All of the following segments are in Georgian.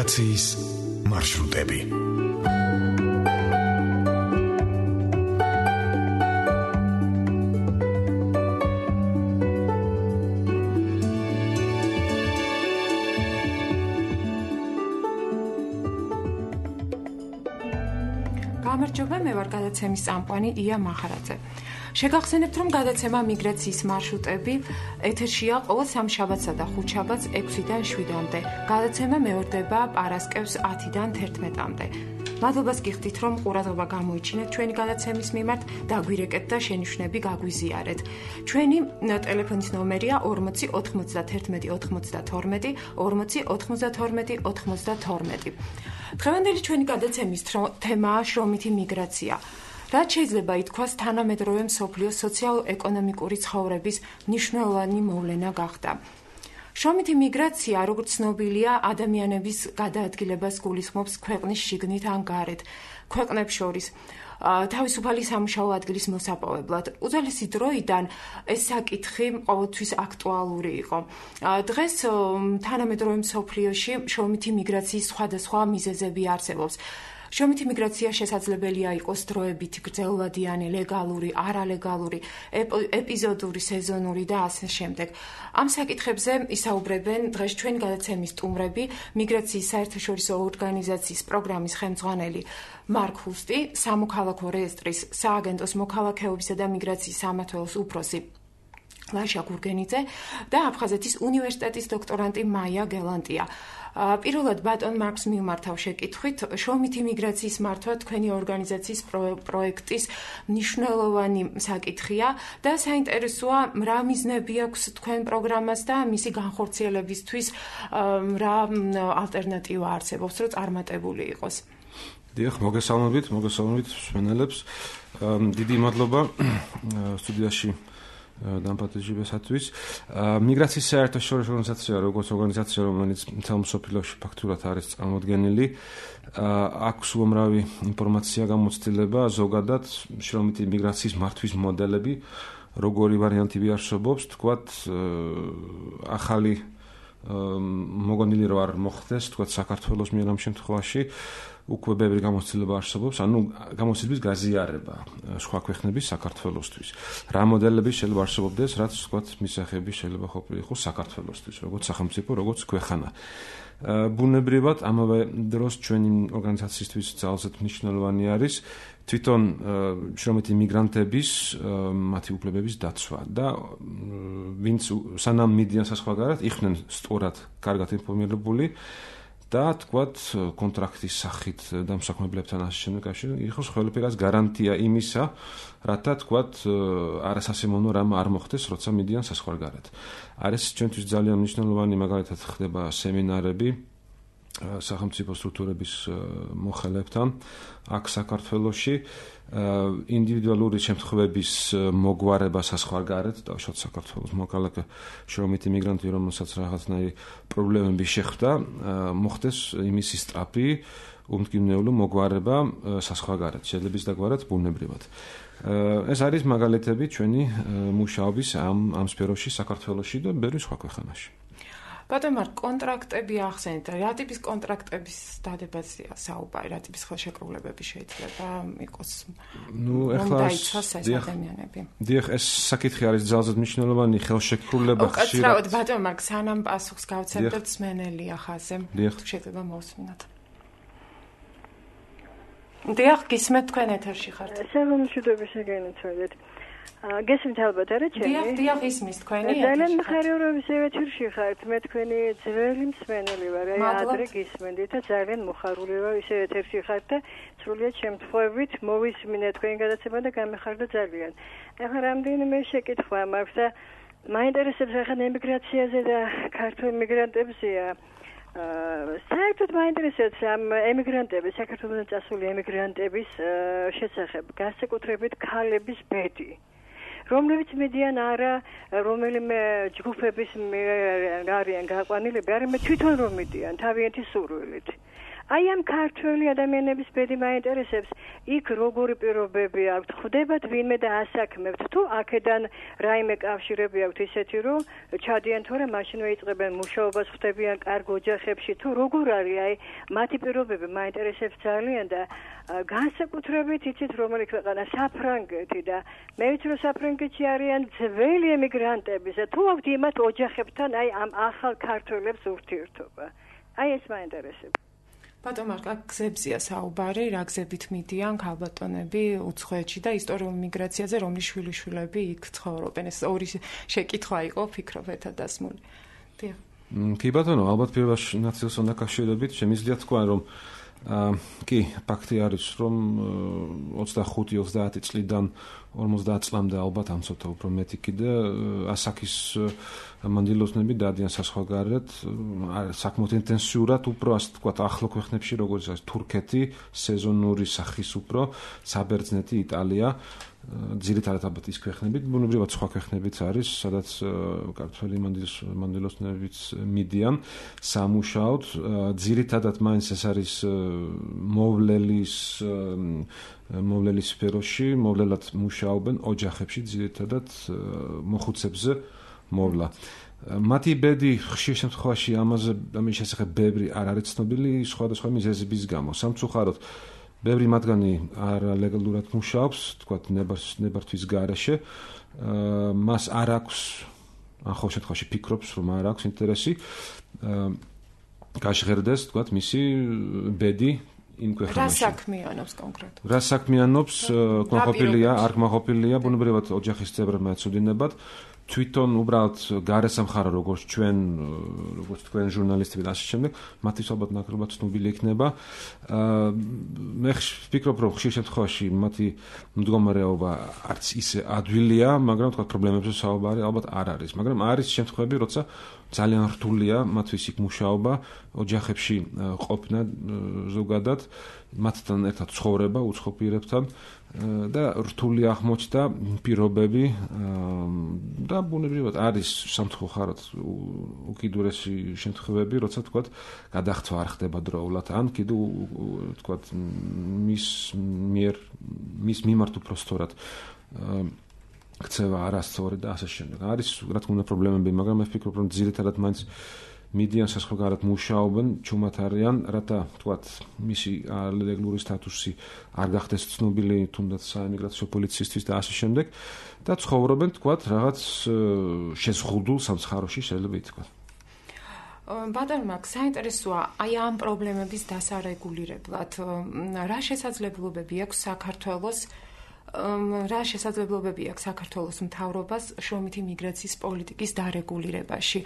ემიგრაციის მარშრუტები. გამარჯობა, მე ვარ გადაცემის წამყვანი ია მახარაძე. შეგახსენებთ, რომ გადაცემა მიგრაციის მარშრუტები ეთერშია ყოველ სამშაბათსა და ხუთშაბათს 6-დან 7-მდე. გადაცემა მეორდება პარასკევს 10-დან 11-მდე. მადლობას გიხდით, რომ ყურადღება გამოიჩინეთ ჩვენი გადაცემის მიმართ, დაგვირეკეთ და შენიშვნები გაგვიზიარეთ. ჩვენი ტელეფონის ნომერია 40 91 92 40 92 92. დღევანდელი ჩვენი გადაცემის თემაა შრომითი მიგრაცია. რაც შეიძლება ითქვას, თანამედროვე მსოფლიოს სოციალურ-ეკონომიკური ცხოვრების მნიშვნელოვანი მოვლენა გახდა. შრომითი მიგრაცია, როგორც ცნობილია, ადამიანების გადაადგილებას გულისხმობს ქვეყნის შიგნით ან გარეთ, ქვეყნებს შორის. თავისუფალი სამუშაო ადგილის მოსაპოვებლად. უძველესი დროიდან ეს საკითხი ყოველთვის აქტუალური იყო. დღეს თანამედროვე მსოფლიოში შრომითი მიგრაციის სხვადასხვა მიზეზები არსებობს. შრომითი მიგრაცია შესაძლებელია იყოს დროებითი, გრძელვადიანი, ლეგალური, არალეგალური, ეპიზოდური, სეზონური და ასე შემდეგ. ამ საკითხებზე ისაუბრებენ დღეს ჩვენი გადაცემის სტუმრები, მიგრაციის საერთაშორისო ორგანიზაციის პროგრამის ხელმძღვანელი მარკ ჰუსტი, სამოქალაქო რეესტრის სააგენტოს მოქალაქეობისა და მიგრაციის სამმართველოს უფროსი ლაშა გურგენიძე და აფხაზეთის უნივერსიტეტის დოქტორანტი მაია გელანტია. პირველად ბატონ მარკს მიმართავ შეკითხვით, შრომითი მიგრაციის მართვა თქვენი ორგანიზაციის პროექტის მნიშვნელოვანი საკითხია და საინტერესოა, რა მიზნები აქვს თქვენ პროგრამას და მისი განხორციელებისთვის რა ალტერნატივა არსებობს, რომ წარმატებული იყოს. დიახ, მოგესალმებით მსმენელებს. დიდი მადლობა სტუდიაში დამპატიჟებისათვის. მიგრაციის საერთაშორისო ორგანიზაცია, როგორც ორგანიზაცია, რომელიც მთელ მსოფლიოში ფაქტურად არის წარმოდგენილი, აქვს უამრავი ინფორმაცია გამოცდილება, ზოგადად შრომითი მიგრაციის მართვის მოდელები, როგორი ვარიანტები არსებობს, თქვათ, ახალი მოგონილი რო არ მოხდეს, თქვათ, საქართველოს მიერ ამ შემთხვევაში უკვე ბევრი გამოცდილება არსებობს, ანუ გამოცდილების გაზიარება სხვა ქვეყნების საქართველოსთვის. რა მოდელები შეიძლება არსებობდეს, რაც თქვათ, მისაღები შეიძლება ყოფილიყო საქართველოსთვის, როგორც სახელმწიფო, როგორც ქვეყანა. ბუნებრივად, ამავე დროს ჩვენი ორგანიზაციისთვის ძალზედ მნიშვნელოვანი არის თვითონ შრომითი მიგრანტების მათი უფლებების დაცვა და ვინც სანამ მიდიან საზღვარგარეთ, იყვნენ სწორად კარგად ინფორმირებული და თქვათ კონტრაქტის სახით დამსაქმებლებთან ასე შემდეგ იყოს ყველაფერას გარანტია იმისა, რათა თქვათ არასასიამოვნო რამ არ მოხდეს, როცა მიდიან საზღვარგარეთ. არის ჩვენთვის ძალიან მნიშვნელოვანი, მაგალითად ხდება სემინარები სახელმწიფო სტრუქტურების მოხელებთან აქ საქართველოში, ინდივიდუალური შემთხვევების მოგვარება საზღვარგარეთ, დავშოთ საქართველოს მოქალაქე შრომითი მიგრანტი, რომელსაც რაღაცნაირი პრობლემები შეხვდა, მოხდეს იმისი სწრაფი უმტკივნეულო მოგვარება საზღვარგარეთ, შეიძლება დაგვარად ბუნებრივად. ეს არის მაგალითები ჩვენი მუშაობის ამ სფეროში საქართველოში და ბევრი სხვა ქვეყანაში. ბატონ მარკ, კონტრაქტები ახსენეთ, რა ტიპის კონტრაქტების დადებაზია საუბარი, რა ტიპის ხელშეკრულებები შეიძლება იყოს? დაიცვას ეს ადამიანები. დიახ, ეს საკითხი არის ძალზედ მნიშვნელოვანი ხელშეკრულება ხშირად. უკაცრავად, ბატონ მარკ, სანამ პასუხს გავცემდეთ მსმენელია ხაზე. შეიძლება მოვსმინოთ. დიახ, გისმენთ, თქვენ ეთერში ხართ. საღამოშვიდობი შეგენიცვალეთ. გესმით ალბათ არა ჩემი? დიახ, ისმის თქვენი. ძალიან მხარეურობის ეთერში ხართ. მე თქვენი ძველი მსმენელი ვარ. ადრე გისმენდით და ძალიან მოხარული ვარ ისე ეთერში ხართ და სრულიად შემთხვევით მოვისმინე თქვენი გადაცემა და გამეხარდა ძალიან. ახლა რამდენიმე შეკითხვა მაქვს და მაინტერესებს ახლა ემიგრაციაზე და ქართულ მიგრანტებზეა. საერთოდ მაინტერესებს ამ ემიგრანტების, საქართველოსთან წასული ემიგრანტების შესახებ, განსაკუთრებით ქალების ბედი. რომლებიც მიდიან არა რომელიმე ჯგუფების არიან გაყვანილები, არამედ თვითონ რომ მიდიან თავიანთი სურვილით. აი ამ ქართველი ადამიანების ბედი მაინტერესებს, იქ როგორი პირობები აქვთ, ხვდებათ ვინმე და ასაქმებთ, თუ აქედან რაიმე კავშირები აქვთ ისეთი, რომ ჩადიან თორე მაშინვე იწყებენ მუშაობას, ხვდებიან კარგ ოჯახებში, თუ როგორ არის, აი მათი პირობები მაინტერესებს ძალიან და განსაკუთრებით იცით რომელი ქვეყანა საფრანგეთი და მე ვიცი რომ საფრანგეთში არიან ძველი ემიგრანტები და თუ აქვთ იმათ ოჯახებთან აი ამ ახალ ქართველებს ურთიერთობა. აი ეს მაინტერესებს. ბატონ მარკა, გზებზია საუბარი, რა გზებით მიდიან ქალბატონები უცხოეთში და ისტორიულ მიგრაციაზე, რომლის შვილიშვილები იქ ცხოვრობენ. ეს ორი შეკითხვა იყო, ფიქრობ ერთად დასმული. დიახ. კი ბატონო, ალბათ პირველში ნაციოსთან დაკავშირებით შემიძლია თქვა, რომ კი, ფაქტი არის, რომ 25-30 წლიდან 50 წლამდე ალბათ ამ ცოტა უფრო მეტი კიდე ასაკის მანდილოსნები დადიან საზღვარგარეთ, საკმაოდ ინტენსიურად უფრო ასე ვთქვათ, ახლო ქვეყნებში, როგორც არის თურქეთი, სეზონური სახის უფრო, საბერძნეთი, იტალია, ძირითადად ალბათ ის ქვეყნებით, ბუნებრივად სხვა ქვეყნებიც არის, სადაც ქართველი მანდილოსნებიც მიდიან სამუშაოდ, ძირითადად მაინც ეს არის მოვლელის სფეროში, მოვლელად მუშაობენ ოჯახებში, ძირითადად მოხუცებზე მოვლა. მათი ბედი ხშირ შემთხვევაში ამის შესახებ ბევრი არ არის ცნობილი სხვადასხვა მიზეზების გამო. სამწუხაროდ ბევრი მათგანი არალეგალურად მუშაობს, თქვათ ნებართვის გარეშე. მას არ აქვს, ან ხო შემთხვევაში ფიქრობს, რომ არ აქვს ინტერესი გაჟღერდეს, თქვათ, მისი ბედი იმ ქვეყანაში. რა საქმიანობს კონკრეტულად? რა საქმიანობს, კმაყოფილია, არ კმაყოფილია, ბუნებრივად ოჯახის წევრებმა ეცოდინებათ. თვითონ უბრალოდ გარესამხარო როგორც თქვენ ჟურნალისტები და ასე შემდეგ, მათთვის ალბათ ნაკლებად ცნობილი იქნება. მე ვფიქრობ, რომ ხშირ შემთხვევაში მათი მდგომარეობა არც ისე ადვილია, მაგრამ თქვა პრობლემებზე საუბარი ალბათ არ არის. მაგრამ არის შემთხვევები, როცა ძალიან რთულია მათთვის იქ მუშაობა, ოჯახებში ყოფნა ზოგადად, მათთან ერთად ცხოვრება უცხო პირებთან და რთული აღმოჩნდა პირობები და ბუნებრივად არის სამწუხაროდ უკიდურესი შემთხვევები, როცა თქვათ გადახცვა არ ხდება დროულად, ან კიდევ თქვათ მის მიმართ უფრო სწორად ქცევა არასწორი და ასე შემდეგ. არის რა თქმა უნდა პრობლემები, მაგრამ მე ვფიქრობ, რომ ძირითადად მაინც მიდიან საზღვარგარეთ მუშაობენ, ჩუმად არიან, რათა თქვათ მისი ლეგალური სტატუსი არ გახდეს ცნობილი თუნდაც საემიგრაციო პოლიციისთვის და ასე შემდეგ და ცხოვრობენ თქვათ რაღაც შეზღუდულ სამცხაროში შეიძლება ითქვას. ბატონ მაგ საინტერესოა აი ამ პრობლემების დასარეგულირებლად რა შესაძლებლობები აქვს საქართველოს რა შესაძლებლობები აქვს საქართველოს მთავრობას შრომითი მიგრაციის პოლიტიკის დარეგულირებაში.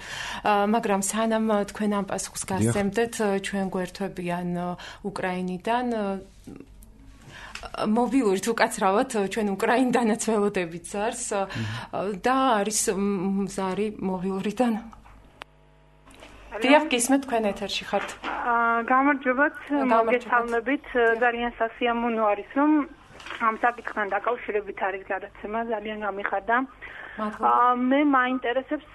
მაგრამ სანამ თქვენ ამ პასუხს გასცემდეთ, ჩვენ გვერთვებიან უკრაინიდან მობილური თუ კაცრავად ჩვენ უკრაინიდანაც ველოდებიც არის და არის მზარი მობილურიდან. დიახ, გისმენთ, თქვენ ეთერში ხართ. გამარჯობათ, მოგესალმებით, ძალიან სასიამოვნო არის, რომ ამ საკითხთან დაკავშირებით არის გადაცემა, ძალიან გამიხარდა. მე მაინტერესებს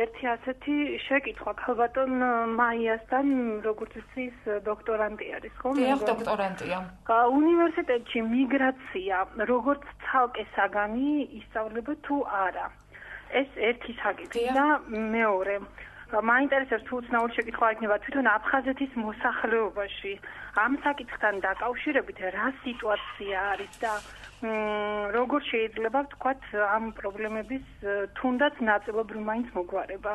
ერთი ასეთი შეკითხვა ქალბატონ მაიასთან, როგორც ის დოქტორანტი არის, ხო? დიახ, დოქტორანტია. უნივერსიტეტში მიგრაცია როგორც ცალკე საგანი ისწავლება თუ არა? ეს ერთი საკითხი და მეორე მაინტერესებს თუ უცნაური შეკითხვა იქნება თვითონ აფხაზეთის მოსახლეობაში ამ საკითხთან დაკავშირებით რა სიტუაცია არის და როგორ შეიძლება ვთქვათ ამ პრობლემების თუნდაც ნაწილობრივ მაინც მოგვარება.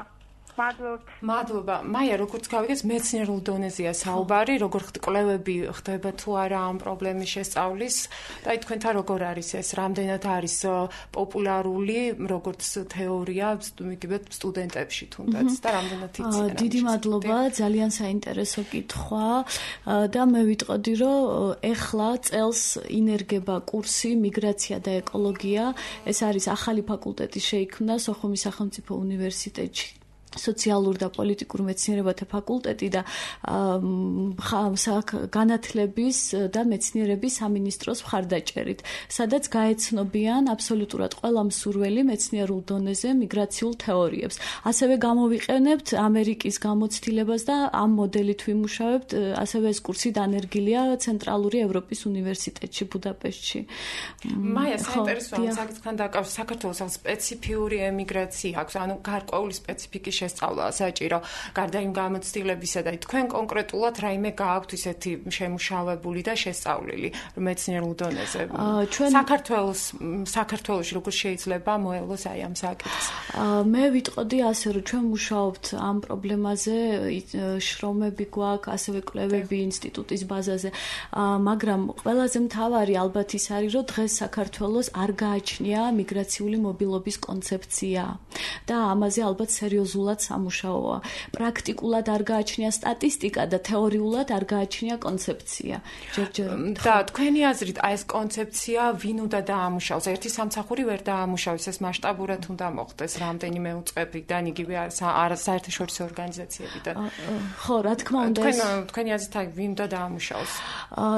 მადლობა. მაია, როგორც გავიგეთ, მეცნიერულ დონეზეა საუბარი, როგორ კვლევები ხდება თუ არა ამ პრობლემის შესწავლის და თქვენთან როგორ არის ეს, რამდენად არის პოპულარული, როგორც თეორია, მიგებთ სტუდენტებში თუნდაც და რამდენად იციან. დიდი მადლობა, ძალიან საინტერესო კითხვა და მე ვიტყოდი, რომ ეხლა წელს ინერგება კურსი მიგრაცია და ეკოლოგია. ეს არის ახალი ფაკულტეტი შეიქმნა სოხუმის სახელმწიფო უნივერსიტეტში. სოციალურ და პოლიტიკურ მეცნიერებათა ფაკულტეტი და განათლების და მეცნიერების სამინისტროს მხარდაჭერით, სადაც გაეცნობიან აბსოლუტურად ყველა მსურველი მეცნიერულ დონეზე მიგრაციულ თეორიებს. ასევე გამოვიყენებთ ამერიკის გამოცდილებას და ამ მოდელით ვიმუშავებთ, ასევე ეს კურსი დანერგილია ცენტრალური ევროპის უნივერსიტეტში ბუდაპეშტში. მაია, საინტერესოა საკითხთან დაკავშირებით, საქართველოს სპეციფიური ემიგრაცია აქვს, ანუ გარკვეული სპეციფიკის შესწავლა საჭირო, გარდა იმ გამოცდილებისა და თქვენ კონკრეტულად რაიმე გააქვთ ისეთი შემუშავებული და შესწავლილი მეცნიერულ დონეზე. საქართველოში როგორ შეიძლება მოელოს აი ამ საკითხს? მე ვიტყოდი ასე, რომ ჩვენ მუშაობთ ამ პრობლემაზე, შრომები გვაქვს, ასევე კვლევები ინსტიტუტის ბაზაზე, მაგრამ ყველაზე მთავარი ალბათ ის არის, რომ დღეს საქართველოს არ გააჩნია მიგრაციული მობილობის კონცეფცია და ამაზე ალბათ სერიოზულად სამუშაოა. პრაქტიკულად არ გააჩნია სტატისტიკა და თეორიულად არ გააჩნია კონცეფცია. და თქვენი აზრით, აი ეს კონცეფცია ვინ უნდა დაამუშავოს? ერთი სამსახური ვერ დაამუშავოს, ეს მასშტაბურად უნდა მოხდეს რამდენიმე უწყებიდან, იგივე საერთაშორისო ორგანიზაციებიდან. ხო, რა თქმა უნდა, თქვენი აზრით, აი ვინ უნდა დაამუშავოს?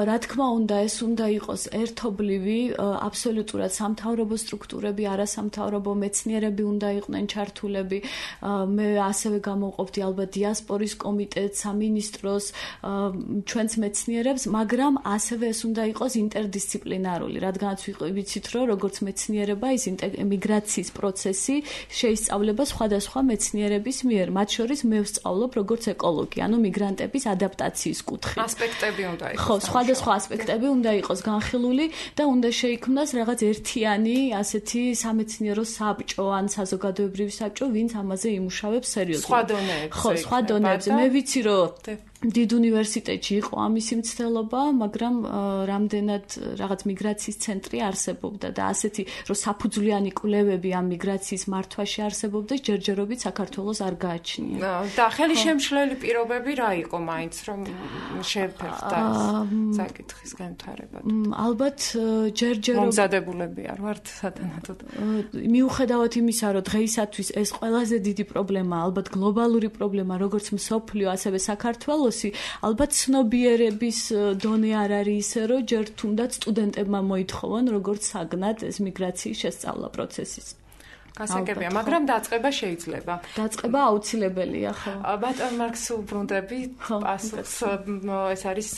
რა თქმა უნდა, ეს უნდა იყოს ერთობლივი, აბსოლუტურად სამთავრობო სტრუქტურები, არასამთავრობო მეცნიერები უნდა იყვნენ ჩართულები. მე ასევე გამოვყოფდი ალბათ დიასპორის კომიტეტს, სამინისტროს, ჩვენს მეცნიერებს, მაგრამ ასევე ეს უნდა იყოს ინტერდისციპლინარული, რადგანაც ვიცით, რომ როგორც მეცნიერება ის მიგრაციის პროცესი შეისწავლება სხვადასხვა მეცნიერების მიერ, მათ შორის მე ვსწავლობ როგორც ეკოლოგი, ანუ მიგრანტების ადაპტაციის კუთხით. ასპექტები უნდა იყოს. ხო, სხვადასხვა ასპექტები უნდა იყოს განხილული და უნდა შეიქმნას რაღაც ერთიანი ასეთი სამეცნიერო საბჭო ან საზოგადოებრივი საბჭო, ვინც ამაზე იმუშავებს სერიოზულად. სხვა დონეებზე. ხო, სხვა დონეებზე. მე ვიცი, რომ დიდ უნივერსიტეტში იყო ამისი მცდელობა, მაგრამ რამდენად რაღაც მიგრაციის ცენტრი არსებობდა და ასეთი, რომ საფუძვლიანი კვლევები ამ მიგრაციის მართვაში არსებობდა, ჯერჯერობით საქართველოს არ გააჩნია. და ხელი შემშლელი პირობები რა იყო მაინც, რომ შეფერხდა საკითხის განვითარებად? ალბათ ჯერჯერობით მომზადებულები არ ვართ სათანადოდ. მიუხედავად იმისა, რომ დღეისათვის ეს ყველაზე დიდი პრობლემა, ალბათ გლობალური პრობლემა, როგორც მსოფლიო, ასევე საქართველოს ალბათ ცნობიერების დონე არ არის ისე, რომ ჯერ თუნდაც სტუდენტებმა მოითხოვონ, როგორც საგნად ეს მიგრაციის შესწავლა პროცესის. გასაგებია, მაგრამ დაწყება შეიძლება. დაწყება აუცილებელია, ხო. ბატონ მარკს უბრუნდები, პასუხს ეს არის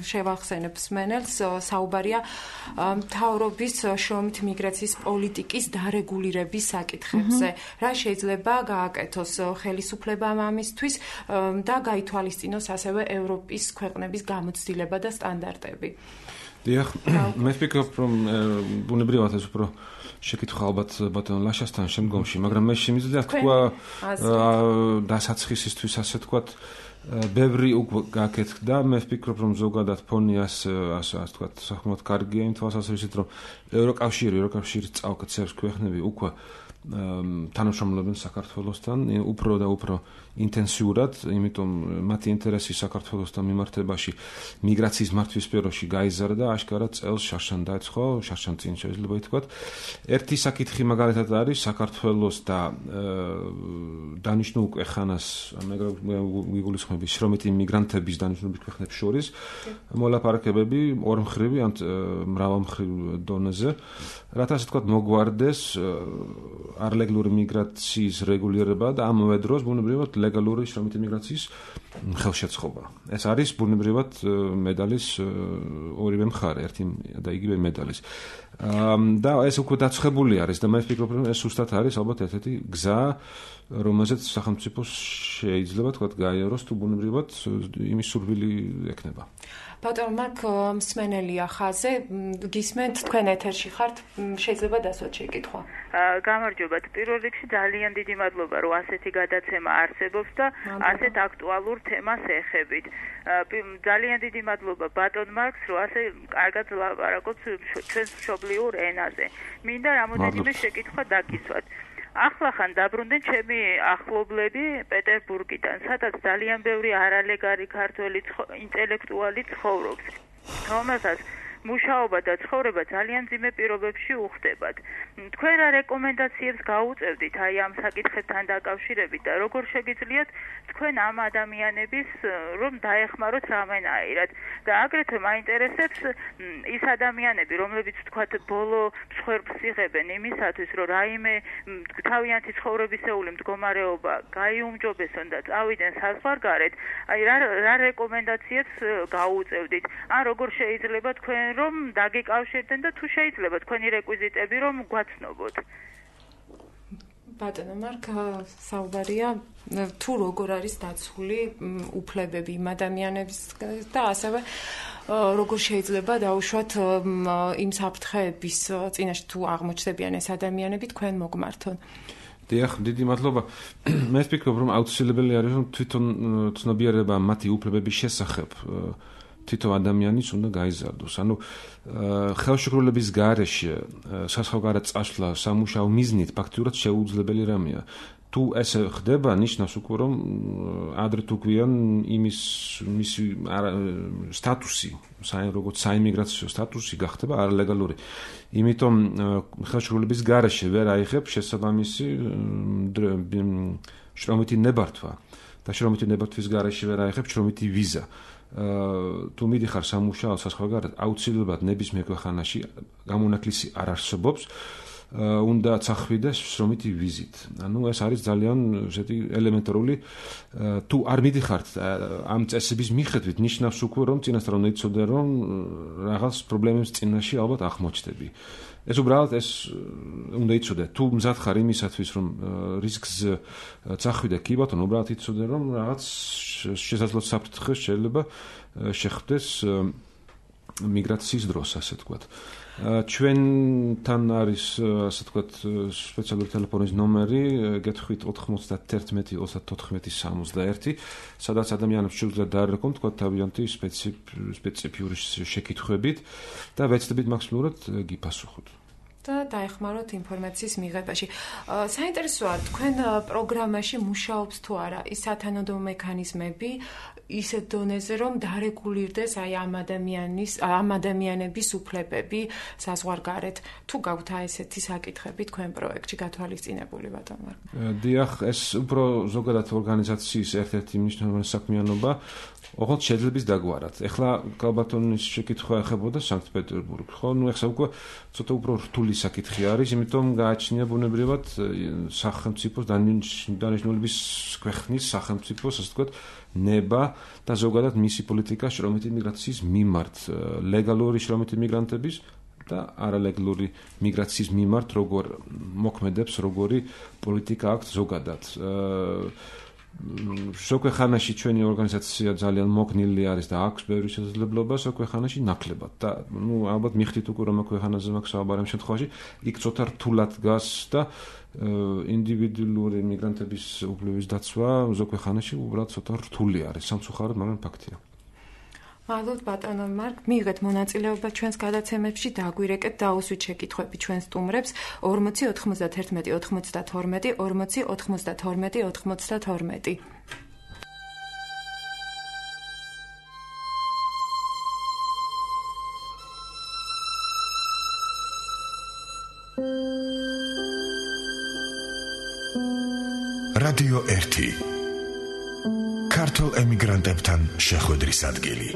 შევახსენებ მსმენელს, საუბარია მთავრობის შრომით მიგრაციის პოლიტიკის დარეგულირების საკითხებზე. რა შეიძლება გააკეთოს ხელისუფლებამ ამისთვის და გაითვალისწინოს ასევე ევროპის ქვეყნების გამოცდილება და სტანდარტები. დიახ, მე ვფიქრობ, რომ ბუნებრივად ეს უფრო შეკითხვა ალბათ ბატონ ლაშასთან შემდგომში, მაგრამ მე შემიძლია თქვა დასაწყისისთვის ასე თქვათ, ბევრი უკვე გაკეთდა, მე ვფიქრობ, რომ ზოგადად ფონი ასე თქვათ, საკმაოდ კარგია იმ თვალსაზრისით, რომ ევროკავშირი წავკაცებს ქვეყნები უკვე თანამშრომლობენ საქართველოსთან უფრო და უფრო ინტენსიურად, იმიტომ მათი ინტერესი საქართველოსთან მიმართებაში მიგრაციის მართვის სფეროში გაიზარდა, აშკარად წელს შარშან დაეცხო, შარშან წინ შეიძლება ითქვათ. ერთი საკითხი მაგალითად არის საქართველოს და დანიშნულ ქვეყანას, მიგულისხმების შრომითი მიგრანტების დანიშნულების ქვეყნებს შორის მოლაპარაკებები ორმხრივი ან მრავალმხრივ დონეზე, რათა ასე ვთქვათ მოგვარდეს არლეგალური მიგრაციის რეგულირება და ამავე დროს ბუნებრივად ლეგალური შრომითი მიგრაციის ხელშეწყობა. ეს არის ბუნებრივად მედალის ორივე მხარე, ერთი და იგივე მედალის. და ეს უკვე დაცხებული არის და მე ვფიქრობ, რომ ეს უბრალოდ არის ალბათ ერთ-ერთი გზა, რომელზეც სახელმწიფო შეიძლება თქვათ გაიაროს თუ ბუნებრივად იმის სურვილი ექნება. ბატონ მარკ მსმენელია ხაზე, გისმენთ თქვენ ეთერში ხართ, შეიძლება დასვათ შეკითხვა. გამარჯობათ. პირველ რიგში ძალიან დიდი მადლობა, რომ ასეთი გადაცემა არსებობს და ასეთ აქტუალურ თემას ეხებით. ძალიან დიდი მადლობა ბატონ მარკს, რომ ასე კარგად ლაპარაკობს ჩვენს მშობლიურ ენაზე. მინდა რამოდენიმე შეკითხვა დაგისვათ. ახლახან დაბრუნდნენ ჩემი ახლობლები პეტერბურგიდან, სადაც ძალიან ბევრი არალეგალი ქართველი ინტელექტუალი ცხოვრობს, რომელსაც მუშაობა და ცხოვრება ძალიან ძიმე პირობებში უხდებათ. თქვენ რა რეკომენდაციებს გაუწევდით აი ამ საკითხებთან დაკავშირებით და როგორ შეგიძლიათ თქვენ ამ ადამიანების რომ დაეხმაროთ რამენაირად და აგრეთვე მაინტერესებს ის ადამიანები, რომლებიც თქვათ ბოლო მსხვერპლს იღებენ იმისათვის, რომ რაიმე თავიანთი ცხოვრებისეული მდგომარეობა გაიუმჯობესონ და წავიდნენ საზღვარგარეთ, აი რა რეკომენდაციებს გაუწევდით? ან როგორ შეიძლება თქვენ რომ დაგიკავშირდნენ და თუ შეიძლება თქვენი რეკვიზიტები რომ გვაცნობოთ? ბატონო მარკ, საუბარია თუ როგორ არის დაცული უფლებები იმ ადამიანების და ასევე როგორ შეიძლება დაუშვათ იმ საფრთხეების წინაშე თუ აღმოჩნდებიან ეს ადამიანები თქვენ მოგმართონ. დიახ, დიდი მადლობა. მე ვფიქრობ, რომ აუცილებელი არის რომ თვითონ ცნობიერება მათი უფლებების შესახებ თვითონ ადამიანის უნდა გაიზარდოს. ანუ ხელშეკრულების გარეშე საზღვარგარეთ წასვლა სამუშაო მიზნით ფაქტიურად შეუძლებელი რამეა. თუ ესე ხდება, ნიშნავს უკვე რომ ადრე თუ გვიან მისი სტატუსი, როგორც საიმიგრაციო სტატუსი გახდება არალეგალური. იმიტომ ხელშეკრულების გარეშე ვერ აიღებ შესაბამისი შრომითი ნებართვა და შრომითი ნებართვის გარეშე ვერ აიღებ შრომითი ვიზა. თუ მიდიხარ სამუშაო საზღვარგარეთ, აუცილებლად ნებისმიერ ქვეყანაში გამონაკლისი არ არსებობს. უნდა წახვიდეს შრომითი ვიზით. ანუ ეს არის ძალიან ესეთი ელემენტარული თუ არ მიდიხართ ამ წესების მიხედვით, ნიშნავს უკვე რომ წინასწარ უნდა იცოდე რომ რაღაც პრობლემების წინაშე ალბათ აღმოჩნდები. ეს უბრალოდ ეს უნდა იცოდე, თუ მზად ხარ იმისათვის რომ რისკს წახვიდე, კი ბატონო, უბრალოდ იცოდე რომ რაღაც შესაძლოა საფრთხე შეიძლება შეხვდეს მიგრაციის დროს, ასე ვთქვათ. ჩვენთან არის ასე ვთქვათ სპეციალური ტელეფონის ნომერი, გეთხვით 91 34 61, სადაც ადამიანებს შეუძლიათ დაერეკონ თქვათ თავიანთი სპეციფიური შეკითხვებით და ვეცდებით მაქსიმალურად გიპასუხოთ. და დაეხმაროთ ინფორმაციის მიღებაში. საინტერესოა თქვენ პროგრამაში მუშაობს თუ არა ის სათანადო მექანიზმები ისეთ დონეზე რომ დარეგულირდეს აი ამ ადამიანების უფლებები საზღვარგარეთ. თუ გაქვთ ესეთი საკითხები თქვენ პროექტში გათვალისწინებული ბატონო? დიახ, ეს უფრო ზოგადად ორგანიზაციის ერთ-ერთი მნიშვნელოვანი საქმიანობა. ოღონდ შეძლებს დაგვარად. ეხლა კალბატონის შეკითხვა ეხებოდა სანქტ-პეტერბურგს, ხო? ნუ ეხლა უკვე ცოტა უფრო რთული საკითხი არის, იმიტომ გააჩნია ბუნებრივად სახელმწიფოს დანიშნულების ქვეყნის სახელმწიფოს, ასე ვთქვათ, ნება და ზოგადად მისი პოლიტიკა შრომითი მიგრაციის მიმართ, ლეგალური შრომითი მიგრანტების და არალეგალური მიგრაციის მიმართ როგორ მოქმედებს, როგორი პოლიტიკა აქვს ზოგადად. სოქვეხანაში ჩვენი ორგანიზაცია ძალიან მოგნილი არის და აქვს ბევრი შესაძლებლობა, სოქვეხანაში ნაკლებად და ნუ ალბათ მიხდით უკვე რომ ქვეყანაზე მაქვს საუბარი ამ შემთხვევაში, იქ ცოტა რთულად დგას და ინდივიდუალური მიგრანტების უფლების დაცვა ზოქვეხანაში უბრალოდ ცოტა რთული არის, სამწუხაროდ, მაგრამ ფაქტია. მადლობთ ბატონო მარკ, მიიღეთ მონაწილეობა ჩვენს გადაცემებში, დაგვირეკეთ დაუსვით შეკითხვები ჩვენ სტუმრებს 40 91 92 40 92 92. რადიო 1 ქართულ ემიგრანტებთან შეხვედრის ადგილი.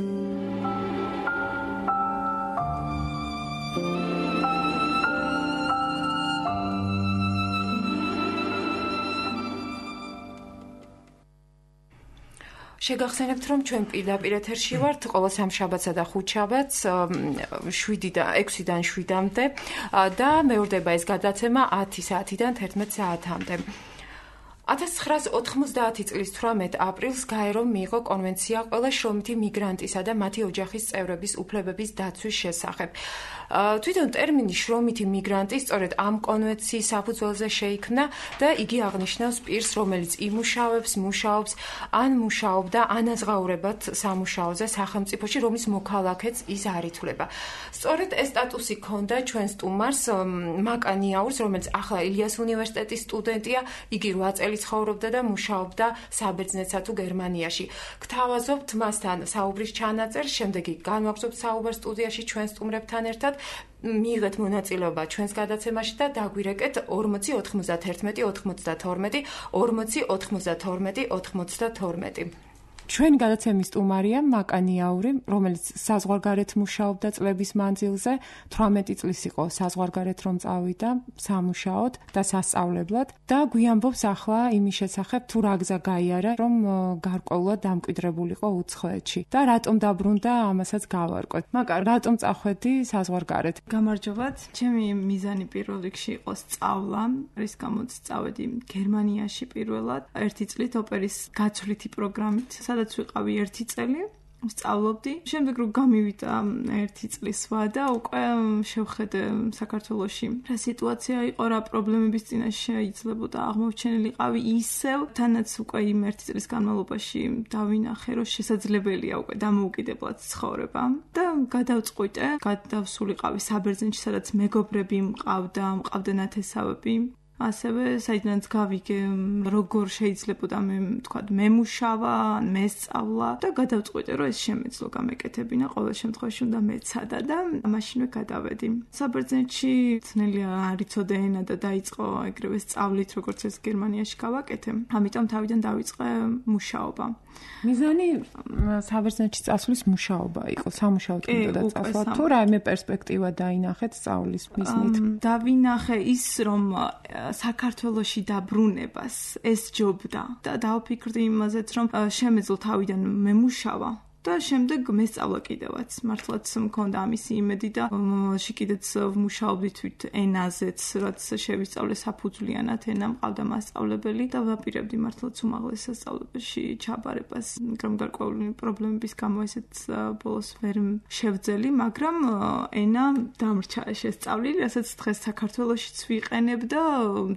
შეგახსენებთ, რომ ჩვენ პირდაპირ ეთერში ვართ ყოველ სამშაბათსა და ხუთშაბათს 6-დან 7-მდე და მეორდება ეს გადაცემა 10 საათიდან 11 საათამდე. 1990 წლის 18 აპრილს გაერომ მიიღო კონვენცია ყველა შრომითი მიგრანტისა და მათი ოჯახის წევრების უფლებების დაცვის შესახებ. თვითონ ტერმინი შრომითი მიგრანტი სწორედ ამ კონვენციის საფუძველზე შეიქმნა და იგი აღნიშნავს პირს, რომელიც იმუშავებს, მუშაობს, ან მუშაობდა ანაზღაურებად სამუშაოზე სახელმწიფოში, რომლის მოქალაქეც ის არ ითვლება. სწორედ ეს სტატუსი ჰქონდა ჩვენ სტუმარს მაკანიაურს, რომელიც ახლა ილიას უნივერსიტეტის სტუდენტია, იგი 8 წელი ცხოვრობდა და მუშაობდა საბერძნეთსა თუ გერმანიაში. გთავაზობთ მასთან საუბრის ჩანაწერს, შემდეგ კი განვაგრძობთ საუბარს სტუდიაში ჩვენ სტუმრებთან ერთად. მიიღეთ მონაწილეობა ჩვენს გადაცემაში და დაგვირეკეთ 40 91 92 40 92 92. ჩვენ გადაცემის სტუმარია მაკანიაური, რომელიც საზღვარგარეთ მუშაობდა წლების მანძილზე, 18 წლის იყო საზღვარგარეთ რომ წავიდა სამუშაოდ და სასწავლებლად და გვიამბობს ახლა იმის შესახებ თუ რა გზა გაიარა, რომ გარკვეულად დამკვიდრებულიყო უცხოეთში და რატომ დაბრუნდა, ამასაც გავარკვევთ. მაკა, რატომ წახვედი საზღვარგარეთ? გამარჯობათ. ჩემი მიზანი პირველ რიგში იყო სწავლა, რის გამოც წავედი გერმანიაში პირველად, 1 წლით ოპერის გაცვლითი პროგრამით. სადაც ვიყავი 1 წელი, სწავლობდი. შემდეგ რომ გამივიდა 1 წლის ვა და უკვე შევხედე საქართველოში რა სიტუაცია იყო, რა პრობლემების წინაშე შეიძლებოდა აღმოჩენილიყავი ისევ, თანაც უკვე იმ 1 წლის განმავლობაში დავინახე, რომ შესაძლებელია უკვე დამოუკიდებლად ცხოვრება და გადავწყვიტე, გადავსულიყავი საბერძნეთში, სადაც მეგობრები მყავდა ნათესავები. ასევე საიდანაც გავიგე როგორ შეიძლებოდა მემუშავა, მესწავლა და გადავწყვიტე რომ ეს შემეძლო გამეკეთებინა, ყოველ შემთხვევაში უნდა მეცადა და მაშინვე გადავედი. საბერძნეთში ძნელია არიცოდე ენა და დაიწყო ეგრევე სწავლით, როგორც ეს გერმანიაში გავაკეთე. ამიტომ თავიდან დავიწყე მუშაობა. მიზანი საბერძნეთში წასვლის მუშაობა იყო, სამუშაოდ უნდა წასვლა თუ რაიმე პერსპექტივა დაინახეთ სწავლის მიზნით? დავინახე ის რომ საქართველოში დაბრუნებას ესჯობდა და დავფიქრდი იმაზეც რომ შემეძლო თავიდან მემუშავა და შემდეგ მესწავლა კიდევაც. მართლაც მქონდა ამისი იმედი და მომავალში კიდეც ვმუშაობდი თვით ენაზეც, რაც შევისწავლე საფუძვლიანად ენა, მყავდა მასწავლებელი და ვაპირებდი მართლაც უმაღლეს სასწავლებელში ჩაბარებას. მაგრამ გარკვეული პრობლემების გამო ესეც ბოლოს ვერ შევძელი, მაგრამ ენა დამრჩა შესწავლილი, რასაც დღეს საქართველოშიც ვიყენებ და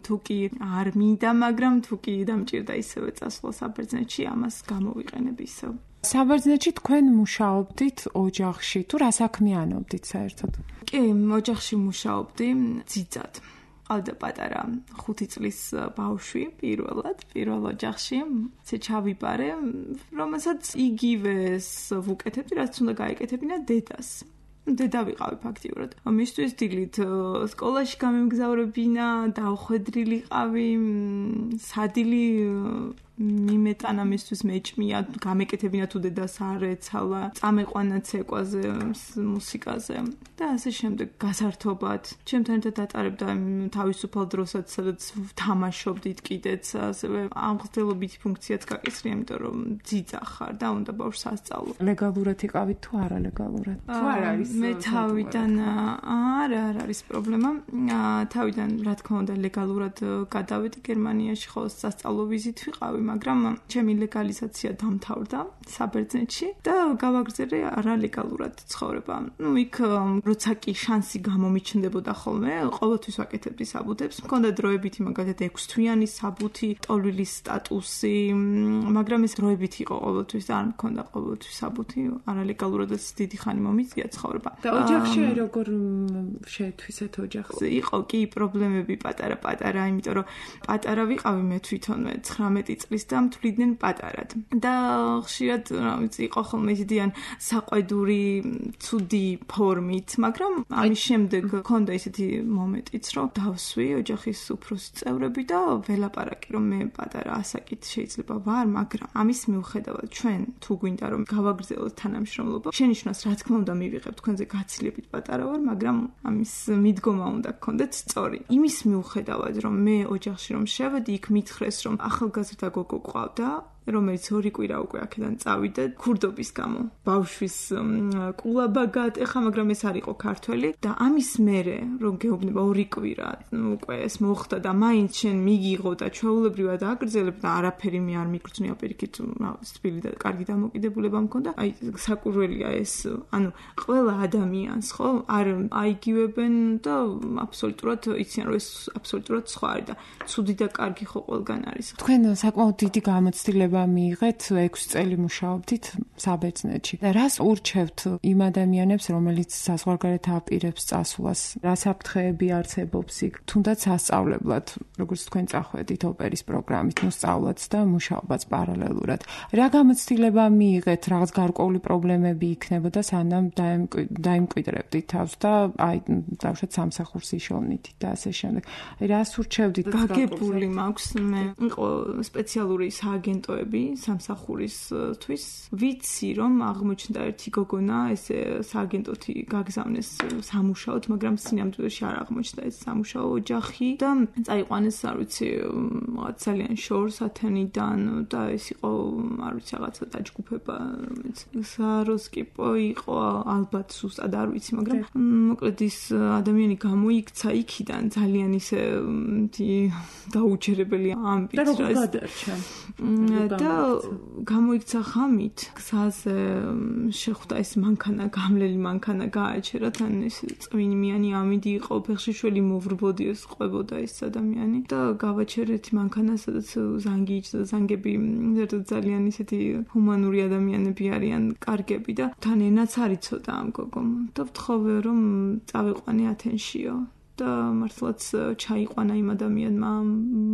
თუ კი არ მინდა, მაგრამ თუ კი დამჭირდა ისევე წასვლა საბერძნეთში, ამას გამოვიყენებ ისევ. საბერძნეთში თქვენ მუშაობდით ოჯახში, თუ რა საქმიანობდით საერთოდ? კი, ოჯახში მუშაობდი ძიძად. ყავდა პატარა 5 წლის ბავშვი პირველ ოჯახში, ცე ჩავიბარე, რომელსაც იგივეს ვუკეთებდი, რაც უნდა გაეკეთებინა დედას. დედა ვიყავი ფაქტიურად. მისთვის დილით სკოლაში გამემგზავრებინა, დავხვედრილიყავი, სადილი მიმეტანა მისთვის მეჭმია, გამეკეთებინა თუ დედას არ ეცალა, წამეყვანა ცეკვაზე, მუსიკაზე და ასე შემდეგ გასართობად. ჩემთან ერთად ატარებდა თავისუფალ დროსაც, სადაც თამაშობდით კიდეც, ასევე ამღრდელობითი ფუნქციაც გაკისრია, იმიტომ რომ ძიძა ხარ და უნდა ბავშვს ასწავლო. ლეგალურად იყავით თუ არალეგალურად? თუ არ არის? მე თავიდან არ არის პრობლემა. თავიდან რა თქმა უნდა ლეგალურად გადავედი გერმანიაში, ხოლო სასწავლო ვიზით ვიყავი, მაგრამ ჩემი ლეგალიზაცია დამთავრდა საბერძნეთში და გავაგრძელე არალეგალურად ცხოვრება. იქ როცა კი შანსი გამომიჩნდებოდა ხოლმე, ყოველთვის ვაკეთებდი საბუთებს. მქონდა დროებითი, მაგალითად 6 თვიანი საბუთი, ტოლვილის სტატუსი, მაგრამ ეს დროებით იყო ყოველთვის და არ მქონდა ყოველთვის საბუთი. არალეგალურადაც დიდი ხანი მომიწია ცხოვრება. და ოჯახში როგორ შეეთვისეთ ოჯახს? იყო კი პრობლემები პატარა, იმიტომ რომ პატარა ვიყავი მე თვითონვე 19 წლის და მთვლიდნენ პატარად. და ხშირად იყო ხოლმე ისედიან საყვედური ცუდი ფორმით, მაგრამ ამის შემდეგ მქონდა ისეთი მომენტიც, რომ დავსვი ოჯახის უფროსი წევრები და ველაპარაკი, რომ მე პატარა ასაკით შეიძლება ვარ, მაგრამ ამის მიუხედავად ჩვენ თუ გვინდა რომ გავაგრძელოთ თანამშრომლობა, შენიშვნას რა თქმა უნდა მივიღებთ თქვენზე გაცილებით პატარა ვარ, მაგრამ ამის მიდგომა უნდა გქონდეთ სწორი. იმის მიუხედავად, რომ მე ოჯახში რომ შევედი, იქ მითხრეს, რომ ახალგაზრდა გოგო ყავდა, რომელიც 2 კვირა უკვე აქედან წავიდა ქურდობის გამო. ბავშვის კულაბაგად ეხა, მაგრამ ეს არ იყო ქართველი და ამის მერე რომ გეუბნება 2 კვირა უკვე ეს მოხდა და მაინც შენ მიგიღო და ჩვეულებრივად აგრძელებ და არაფერი მე არ მიგრძნია პირიქით თბილი და კარგი დამოკიდებულება მქონდა. აი საკურველია ეს, ანუ ყველა ადამიანს ხო არ აიგივებენ და აბსოლუტურად იციან რომ ეს აბსოლუტურად სხვა არის და ცუდი და კარგი ხო ყველგან არის. თქვენ საკმაოდ დიდი გამოცდილება მიიღეთ 6 წელი მუშაობდით საბერძნეთში. და რას ურჩევთ იმ ადამიანებს, რომელიც საზღვარგარეთ აპირებს წასვლას? რა საფრთხეები არსებობს იქ? თუნდაც სასწავლებლად, როგორც თქვენ წახვედით ოპერის პროგრამით, ნუ სწავლაც და მუშაობაც პარალელურად. რა გამოცდილება მიიღეთ? რაღაც გარკვეული პრობლემები იქნებოდა, სანამ დაიმკვიდრებდით თავს და აი დავშოთ სამსახურს იშოვნით და ასე შემდეგ. აი რას ურჩევდით? გაგებული მაქვს მე. იყო სპეციალური სააგენტოები სამსახურისთვის. ვიცი რომ აღმოჩნდა ერთი გოგონა, ეს სააგენტოთი გაგზავნეს სამუშაოდ, მაგრამ სინამდვილეში არ აღმოჩნდა ეს სამუშაო ოჯახი და წაიყვანეს, არ ვიცი, ძალიან შორს ათენიდან და ეს იყო, არ ვიცი, რაღაცა დაჯგუფება, რომელიც საროსკიპო იყო, ალბათ სუსტად არ ვიცი, მაგრამ მოკლედ ის ადამიანი გამოიქცა იქიდან ძალიან ისე დაუჯერებელი ამბით და როგორ გადარჩა და გამოიქცა ხამით გზაზე შეხვდა ეს მანქანა, გამლელი მანქანა გააჩერა, თან ეს წვიმიანი ამინდი იყო, ფეხშიშველი მოვრბოდი, ეს ყვებოდა ეს ადამიანი და გავაჩერეთ მანქანა, სადაც ზანგი იჭდა, ზანგები ძალიან ისეთი ჰუმანური ადამიანები არიან, კარგები და თან ენაც არ იცოდა ამ გოგომ და ვთხოვე რომ წავიყვანე ათენშიო და მართლაც ჩაიყვანა იმ ადამიანმა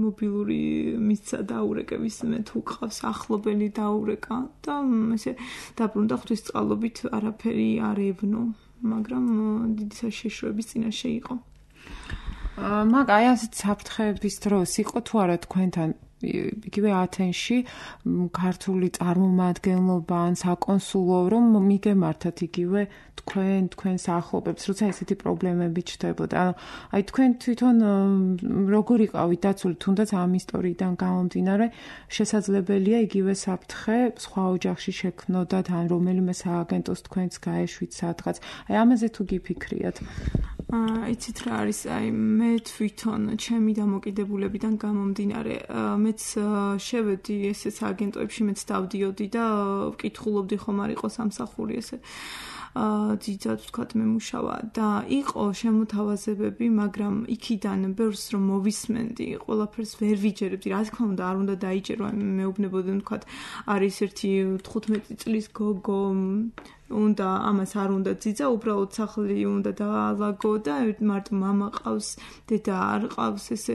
მობილური მისცა დაურეკების მე თუ ყავს ახლობელი დაურეკა და ესე დაბრუნდა ღვთისწყალობით არაფერი არ ებნო, მაგრამ დიდი საშიშროების წინაშე იყო. მაგ აი ასეთ საფრთხეების დროს იყო თუ არა თქვენთან იგივე ათენში ქართული წარმომადგენლობა ან საკონსულო რომ მიგემართათ იგივე თქვენს ახლობებს, როცა ესეთი პრობლემები ჩნდებოდა. აი თქვენ თვითონ როგორ იყავით დაცული, თუნდაც ამ ისტორიიდან გამომდინარე, შესაძლებელია იგივე საფრთხე სხვა ოჯახში შექმნოდათ ან რომელიმე სააგენტოს თქვენს გაეშვით სადღაც. აი ამაზე თუ გიფიქრიათ. იცით რა არის, აი მე თვითონ ჩემი დამოკიდებულებიდან გამომდინარე, მეც შევედი ესე სააგენტოებში, მეც დავდიოდი და ვკითხულობდი ხომ არ იყო სამსახური ესე ძიძად ვთქვათ მემუშავა და იყო შემოთავაზებები, მაგრამ იქიდან ბევრს რომ მოვისმენდი, ყველაფერს ვერ ვიჯერებდი, რა თქმა უნდა არ უნდა დაიჯერო, მეუბნებოდნენ ვთქვათ, არის ერთი 15 წლის გოგო უნდა ამას არ უნდა ძიძა, უბრალოდ სახლი უნდა დაალაგო და მარტო მამა ყავს, დედა არ ყავს ესე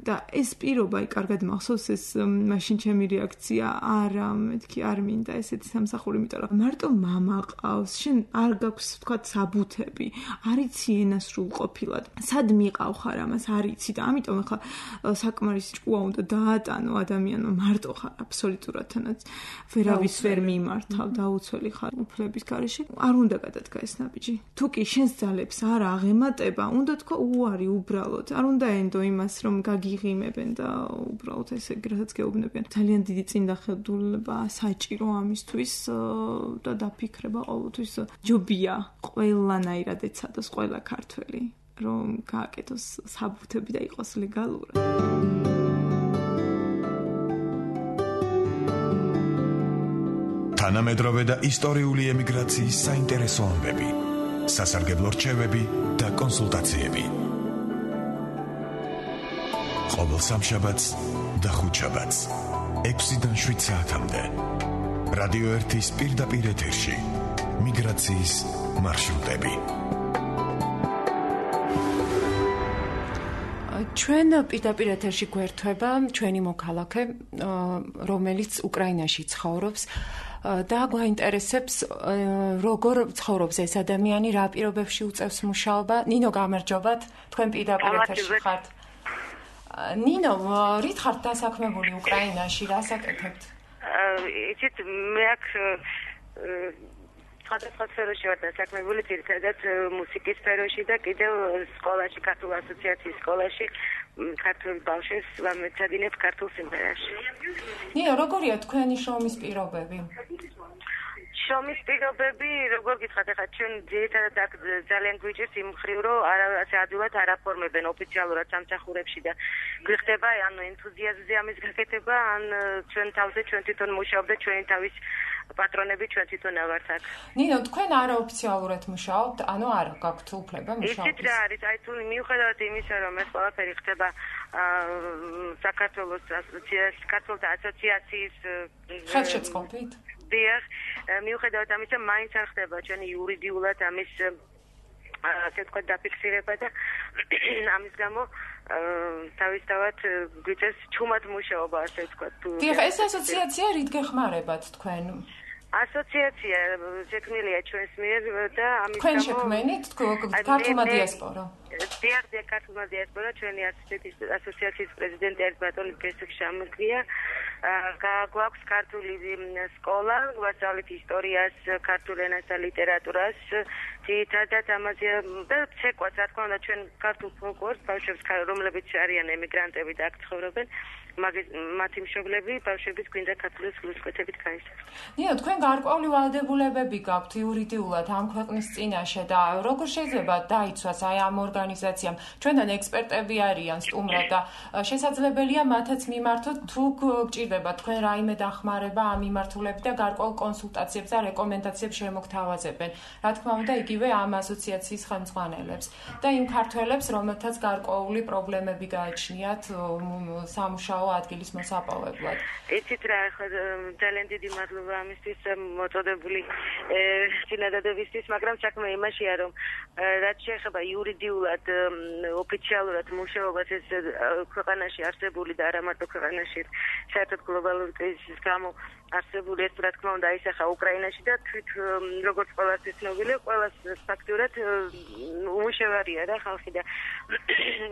და ეს პირობა, აი კარგად მახსოვს ეს მაშინ ჩემი რეაქცია, არა, მეთქი არ მინდა ესეთი სამსახური, იმიტომ რომ მარტო მამა ყავს, შენ არ გაქვს თქვა საბუთები, არ იცი ენა სრულყოფილად, სად მიყავ ხარ ამას, არ იცი და ამიტომ ახლა საკმარის ჭკუა უნდა დაატანო ადამიანმა, მარტო ხარ აბსოლუტურად თანაც ვერავის ვერ მიმართავ, დაუცველი ხარ უფლების არ უნდა გადადგა ეს ნაბიჯი. თუ კი შენს ძალებს არ აღემატება, უნდა თქვა უარი უბრალოდ. არ უნდა ენდო იმას, რომ გაგიღიმებენ და უბრალოდ ესე რასაც გეუბნებიან. ძალიან დიდი წინდახედულება საჭირო ამისთვის და დაფიქრება ყოველთვის ჯობია ყველანაირად ეცადოს ყველა ქართველი, რომ გააკეთოს საბუთები და იყოს ლეგალურად. თანამედროვე და ისტორიული ემიგრაციის საინტერესო ამბები, სასარგებლო რჩევები და კონსულტაციები. ყოველ სამშაბათს და ხუთშაბათს 6-დან 7 საათამდე რადიო 1-ის პირდაპირ ეთერში მიგრაციის მარშრუტები. ჩვენ პირდაპირ ეთერში გვერდება ჩვენი მოქალაქე, რომელიც უკრაინაში ცხოვრობს და გვაინტერესებს როგორ ცხოვრობს ეს ადამიანი, რა პირობებში უწევს მუშაობა. ნინო, გამარჯობათ, თქვენ პირდაპირ ეთერში ხართ. ნინო, რით ხართ დასაქმებული უკრაინაში, რას აკეთებთ? იცით, მე აქ სხვადასხვა სფეროში ვარ დასაქმებული, ძირითადად მუსიკის სფეროში და კიდევ სკოლაში, ქართულ ასოციაციის სკოლაში ქართულ ბავშვებს ვამეცადინებ ქართულ სიმღერაში. ნინო, როგორია თქვენი შრომის პირობები? შრომის პირობები, როგორ გითხრათ, ახლა ჩვენ ძირითადად ძალიან გვიჭირს იმ მხრივ, რომ ასე ადვილად არ აფორმებენ ოფიციალურად სამსახურებში და გვიხდება ანუ ენთუზიაზმზე ამის გაკეთება, ან ჩვენ თავზე ჩვენ თვითონ მუშაობ და ჩვენი თავის პატრონები ჩვენ თვითონ ავართ აქ. ნინო, თქვენ არაოფიციალურად მუშაობთ, ანუ არა გაქვთ უფლება მუშაობის? იცით რა არის, აი თუ მიუხედავად იმისა, რომ ეს ყველაფერი ხდება საქართველოს ქართველთა ასოციაციის ხელშეწყობით? დიახ, მიუხედავად ამისა, მაინც არ ხდება ჩვენი იურიდიულად ამის ასე ვთქვათ დაფიქსირება და ამის გამო თავისთავად გვიწევს ჩუმად მუშაობა, ასე ვთქვათ. დიახ, ეს ასოციაცია რით გეხმარებათ თქვენ? ასოციაცია შექმნილია ჩვენს მიერ და ამის გამო თქვენ შექმნით ქართულმა დიასპორა? დიახ, ქართულმა დიასპორა ჩვენი ასოციაციის პრეზიდენტი არის ბატონი გესტ შამგია. გვაქვს ქართული სკოლა, გვასწავლეთ ისტორიას, ქართულ ენას და ლიტერატურას. ძირითადად ამაზე და ცეკვას, რა თქმა უნდა, ჩვენ ქართულ ფოლკლორს ბავშვებს, რომლებიც არიან ემიგრანტები და აქ ცხოვრობენ, მათი მშობლები ბავშვების გვინდა ქართული სულისკვეთებით გაისახა. ნინო, თქვენ გარკვეული ვალდებულებები გაქვთ იურიდიულად ამ ქვეყნის წინაშე და როგორ შეიძლება დაიცვას აი ამ ორგანიზაციამ? ჩვენთან ექსპერტები არიან სტუმრად და შესაძლებელია მათაც მიმართოთ თუ გჭირდება თქვენ რაიმე დახმარება ამ მიმართულებით და გარკვეულ კონსულტაციებს და რეკომენდაციებს შემოგთავაზებენ. რა თქმა უნდა, იგივე ამ ასოციაციის ხელმძღვანელებს და იმ ქართველებს, რომელთაც გარკვეული პრობლემები გააჩნიათ სამუშაო ადგილის მოსაპოვებლად. იცით რა, ახლა ძალიან დიდი მადლობა ამისთვის მოწოდებული წინადადებისთვის, მაგრამ საქმე იმაშია, რომ რაც შეეხება იურიდიულად ოფიციალურად მუშაობას ეს ქვეყანაში არსებული და არა მარტო ქვეყანაში, საერთოდ გლობალური კრიზისის გამო არსებული ეს რა თქმა უნდა აისახა უკრაინაში და თვით როგორც ყველასთვის ცნობილია, ყველას ფაქტურად უმუშევარია რა ხალხი და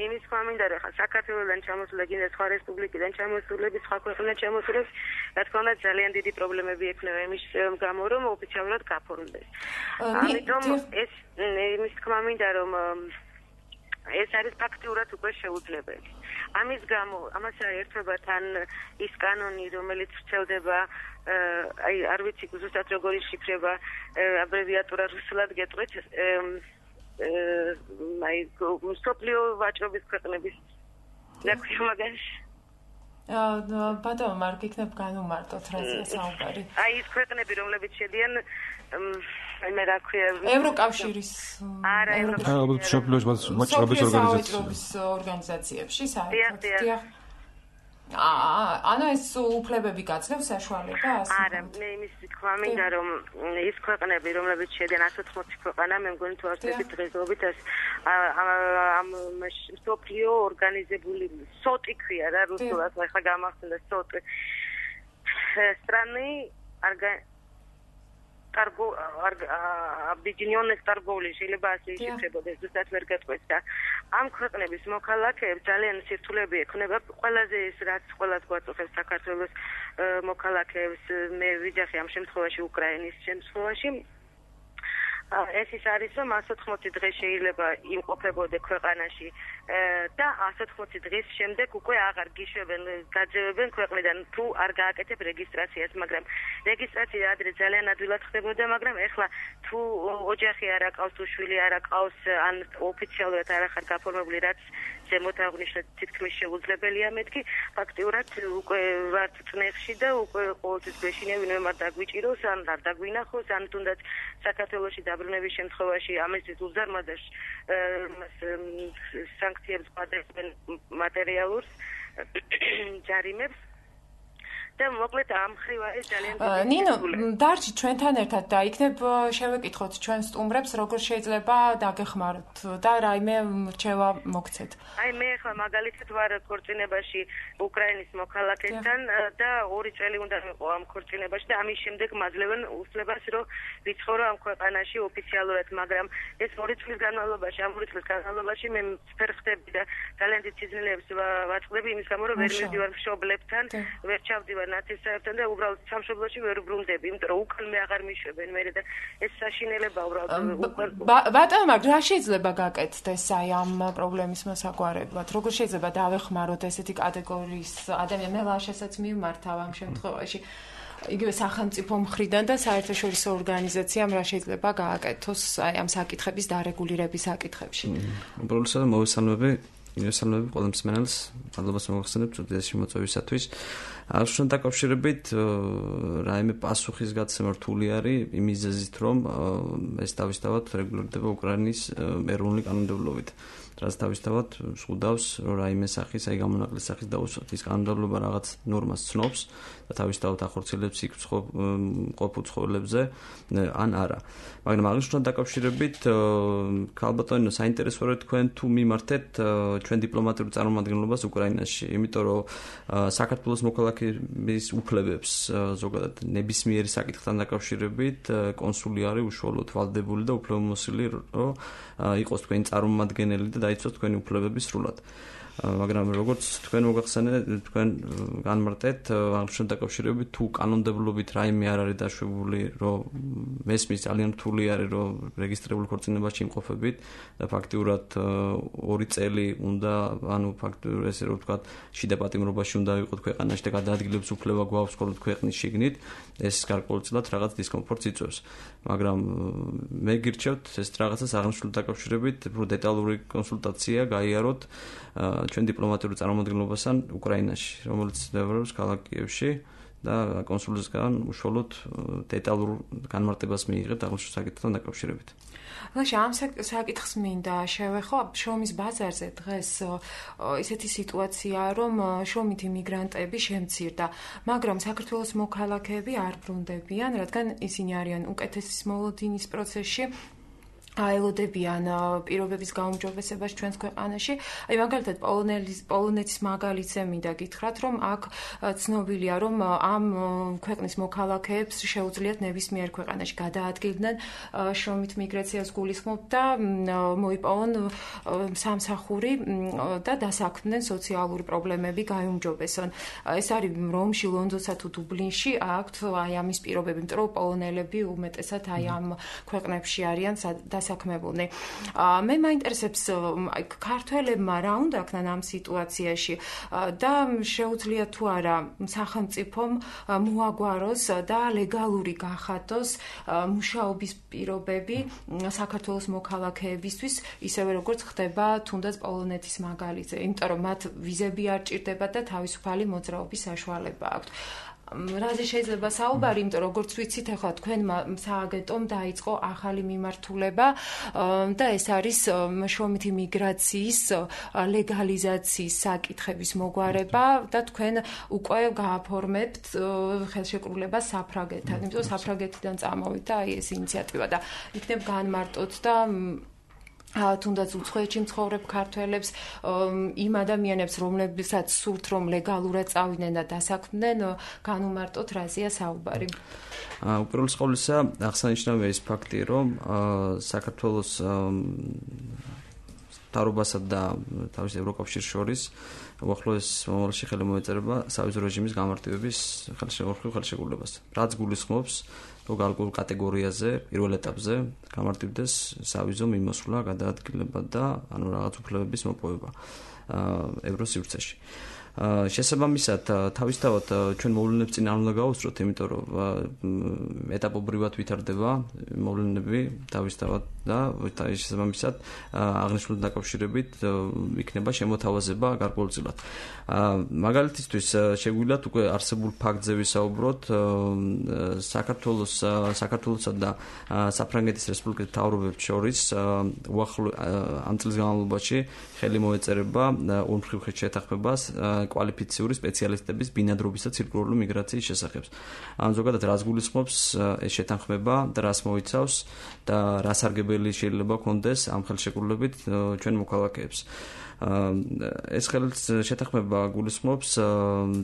იმის თქმა მინდა რომ საქართველოსთან ჩამოსულა კიდე სხვა რესპუბლიკიდან ჩამოსულები, სხვა ქვეყნიდან ჩამოსულებს, რა თქმა უნდა ძალიან დიდი პრობლემები ექნება იმის გამო რომ ოფიციალურად გაფორმდეს. ამიტომ ეს იმის თქმა მინდა რომ ეს არის ფაქტურად უკვე შეუძლებელი. ამის გამო ამას ერთობა თან ის კანონი, რომელიც ვრცელდება, აი არ ვიცი ზუსტად როგორი შიფრება, აბრევიატურა რუსულად გეტყვით, აი მსოფლიო ვაჭრობის ქვეყნების დაქვია მაგაში. ბატონო, არ გიქნებ განუმარტოთ რაზეა საუბარი. აი ის ქვეყნები, რომლებიც შედიან მე რა ქვია ევროკავშირის ვაჭრობის ორგანიზაციებში საერთოდ. ანუ ეს უფლებები გაძლევს საშუალებას? არა, მე იმის თქმა მინდა რომ ის ქვეყნები, რომლებიც შედიან 180 ქვეყანა, მე მგონი თუ არსებობს დღესდღეობით ამ მსოფლიო ორგანიზებული სოტი ქვია რა რუსულად, ახლა გამახსენდა სოტი. страны объединённых торговли, შეიძლება ასე იშიფრებოდეს, ზუსტად ვერ გეტყვით და ამ ქვეყნების მოქალაქეებს ძალიან სირთულეები ექნება, ყველაზე ეს რაც ყველას გვაწუხებს საქართველოს მოქალაქეებს, მე ვიძახი ამ შემთხვევაში უკრაინის შემთხვევაში ეს ის არის რომ 180 დღე შეიძლება იმყოფებოდე ქვეყანაში და 180 დღის შემდეგ უკვე აღარ გიშვებენ, გაძევებენ ქვეყნიდან თუ არ გააკეთებ რეგისტრაციას, მაგრამ რეგისტრაცია ადრე ძალიან ადვილად ხდებოდა, მაგრამ ეხლა თუ ოჯახი არ აყავს, თუ შვილი არ აყავს, ან ოფიციალურად არ ახარ გაფორმებული, რაც ზემოთ აღნიშნეთ თითქმის შეუძლებელია მეთქი, ფაქტიურად უკვე ვართ წნეხში და უკვე ყოველთვის გვეშინია ვინმე არ დაგვიჭიროს, ან არ დაგვინახოს, ან თუნდაც საქართველოში დაბრუნების შემთხვევაში ამისთვის უზარმაზარ სანქციებს გადაეცემენ მატერიალურს ჯარიმებს და მოკლედ ამ ხრივა ეს ძალიან ნინო, დარჩი ჩვენთან ერთად და იქნებ შევეკითხოთ ჩვენ სტუმრებს როგორ შეიძლება დაგეხმაროთ და რაიმე რჩევა მოგცეთ. აი მე ახლა მაგალითად ვარ ქორწინებაში უკრაინის მოქალაქესთან და 2 წელი უნდა ვიყო ამ ქორწინებაში და ამის შემდეგ მაძლევენ უფლებას რომ ვიცხოვრო ამ ქვეყანაში ოფიციალურად, მაგრამ ეს 2 წლის განმავლობაში მე ფერხდები და ძალიან დიდ სიზნელეებს ვაწყდები იმის გამო რომ ვერ მივდივარ მშობლებთან, ვერ ჩავდივარ ნაცისტებთან და უბრალოდ სამშობლოში ვერ ბრუნდები, იმიტომ რომ უკან მე აღარ მიშვებენ მე და ეს საშინელება უბრალოდ ბატონო, რა შეიძლება გაკეთდეს აი ამ პრობლემის მოსაგვარებლად? როგორ შეიძლება დავეხმაროთ ესეთი კატეგორიის ადამიანს? მე ლაშასაც მივმართავ ამ შემთხვევაში. იგივე სახელმწიფო მხრიდან და საერთაშორისო ორგანიზაციამ რა შეიძლება გააკეთოს აი ამ საკითხების დარეგულირების საკითხებში. უბრალოდ მოვესალმები ყველა მსმენელს, მადლობას მოგხსენებთ წუთიაში მოწვევისათვის. აღნიშნულ დაკავშირებით რაიმე პასუხისგაცემა რთული არის იმ მიზეზით, რომ ეს თავისთავად რეგულირდება უკრაინის ეროვნული კანონმდებლობით. რაც თავისთავად ზღუდავს, რომ რაიმე სახის, აი გამონაკლისის სახის დაუსვათ. ის კანონმდებლობა რაღაც ნორმას ცნობს და თავისთავად ახორციელებს იქ ყოფ უცხოელებზე ან არა. მაგრამ აღნიშნულ დაკავშირებით ქალბატონო საინტერესოა თქვენ თუ მიმართეთ ჩვენ დიპლომატიურ წარმომადგენლობას უკრაინაში, იმიტომ რომ საქართველოს მოქალაქეების უფლებებს ზოგადად ნებისმიერი საკითხთან დაკავშირებით კონსული არის უშუალოდ ვალდებული და უფლებამოსილი, რომ იყოს თქვენი წარმომადგენელი და დაიცვას თქვენი უფლებები სრულად. მაგრამ როგორც თქვენ მოგახსენეთ, თქვენ განმარტეთ აღნიშნულ დაკავშირებით თუ კანონმდებლობით რაიმე არ არის დაშვებული, რომ მესმის ძალიან რთული არის, რომ რეგისტრირებულ ქორწინებაში იმყოფებით და ფაქტიურად 2 წელი უნდა, ანუ ფაქტიურად ესე რომ ვთქვათ, შიდა პატიმრობაში უნდა ვიყოთ ქვეყანაში და გადაადგილების უფლება გვაქვს მხოლოდ ქვეყნის შიგნით, ეს გარკვეულწილად რაღაც დისკომფორტს იწვევს. მაგრამ მე გირჩევთ ეს რაღაცას აღნიშნულ დაკავშირებით უფრო დეტალური კონსულტაცია გაიაროთ ჩვენ დიპლომატიურ წარმომადგენლობასთან უკრაინაში, რომელიც მდებარეობს ქალაქ კიევში და კონსულისგან უშუალოდ დეტალურ განმარტებას მიიღებთ აღნიშნულ საკითხთან დაკავშირებით. ლაშა, ამ საკითხს მინდა შევეხო, შრომის ბაზარზე დღეს ისეთი სიტუაციაა, რომ შრომითი მიგრანტები შემცირდა, მაგრამ საქართველოს მოქალაქეები არ ბრუნდებიან, რადგან ისინი არიან უკეთესის მოლოდინის პროცესში. აელოდებიან პირობების გაუმჯობესებას ჩვენს ქვეყანაში. აი მაგალითად პოლონეთის მაგალითზე მინდა გითხრათ, რომ აქ ცნობილია, რომ ამ ქვეყნის მოქალაქეებს შეუძლიათ ნებისმიერ ქვეყანაში გადაადგილდნენ შრომით მიგრაციას გულისხმობ და მოიპოვონ სამსახური და დასაქმდნენ სოციალური პრობლემები გაიუმჯობესონ. ეს არის რომში, ლონდონსა თუ დუბლინში აქვთ აი ამის პირობები, იმიტომ რომ პოლონელები უმეტესად აი ამ ქვეყნებში არიან საქმებულნი. მე მაინტერესებს ქართველებმა რა უნდა აქნან ამ სიტუაციაში და შეუძლია თუ არა სახელმწიფომ მოაგვაროს და ლეგალური გახადოს მუშაობის პირობები საქართველოს მოქალაქეებისთვის, ისევე როგორც ხდება თუნდაც პოლონეთის მაგალითზე, იმიტომ რომ მათ ვიზები არ ჭირდებათ და თავისუფალი მოძრაობის საშუალება აქვთ. რაზე შეიძლება საუბარი, იმიტომ როგორც ვიცით, ახლა თქვენმა სააგენტომ დაიწყო ახალი მიმართულება და ეს არის შრომითი მიგრაციის ლეგალიზაციის საკითხების მოგვარება და თქვენ უკვე გააფორმებთ ხელშეკრულება საფრანგეთთან, იმიტომ რომ საფრანგეთიდან წამოვიდა აი ეს ინიციატივა და იქნებ განმარტოთ და თუნდაც უცხოეთში მცხოვრებ ქართველებს იმ ადამიანებს, რომლებსაც სურთ რომ ლეგალურად წავიდნენ და დასაქმდნენ, განუმარტოთ რაზეა საუბარი. უპირველეს ყოვლისა, აღსანიშნავია ის ფაქტი, რომ საქართველოს მთავრობასა და თავის ევროკავშირს შორის უახლოეს მომავალში ხელი მოეწერება სავიზო რეჟიმის გამარტივების ხელშეკრულებას, რაც გულისხმობს რომ გარკვეულ კატეგორიაზე, პირველ ეტაპზე გამარტივდეს სავიზო მიმოსვლა, გადაადგილება და ანუ რაღაც უფლებების მოპოვება ევროსივრცეში. შესაბამისად, თავისთავად ჩვენ მოვლენებს წინ არ უნდა გავუსწროთ, იმიტომ რომ ეტაპობრივად ვითარდება მოვლენები თავისთავად და შესაბამისად აღნიშნულ დაკავშირებით იქნება შემოთავაზება გარკვეულწილად. მაგალითისთვის შეგვიძლიათ უკვე არსებულ ფაქტზე ვისაუბროთ საქართველოსა და საფრანგეთის რესპუბლიკის მთავრობებს შორის ამ წლის განმავლობაში ხელი მოეწერება ორმხრივ შეთანხმებას კვალიფიციური სპეციალისტების ბინადრობის და ცირკულარული მიგრაციის შესახებ. ან ზოგადად რას გულისხმობს ეს შეთანხმება და რას მოიცავს და რა სარგებელი შეიძლება ჰქონდეს ამ ხელშეკრულებით ჩვენ მოქალაქეებს. ეს შეთანხმება გულისხმობს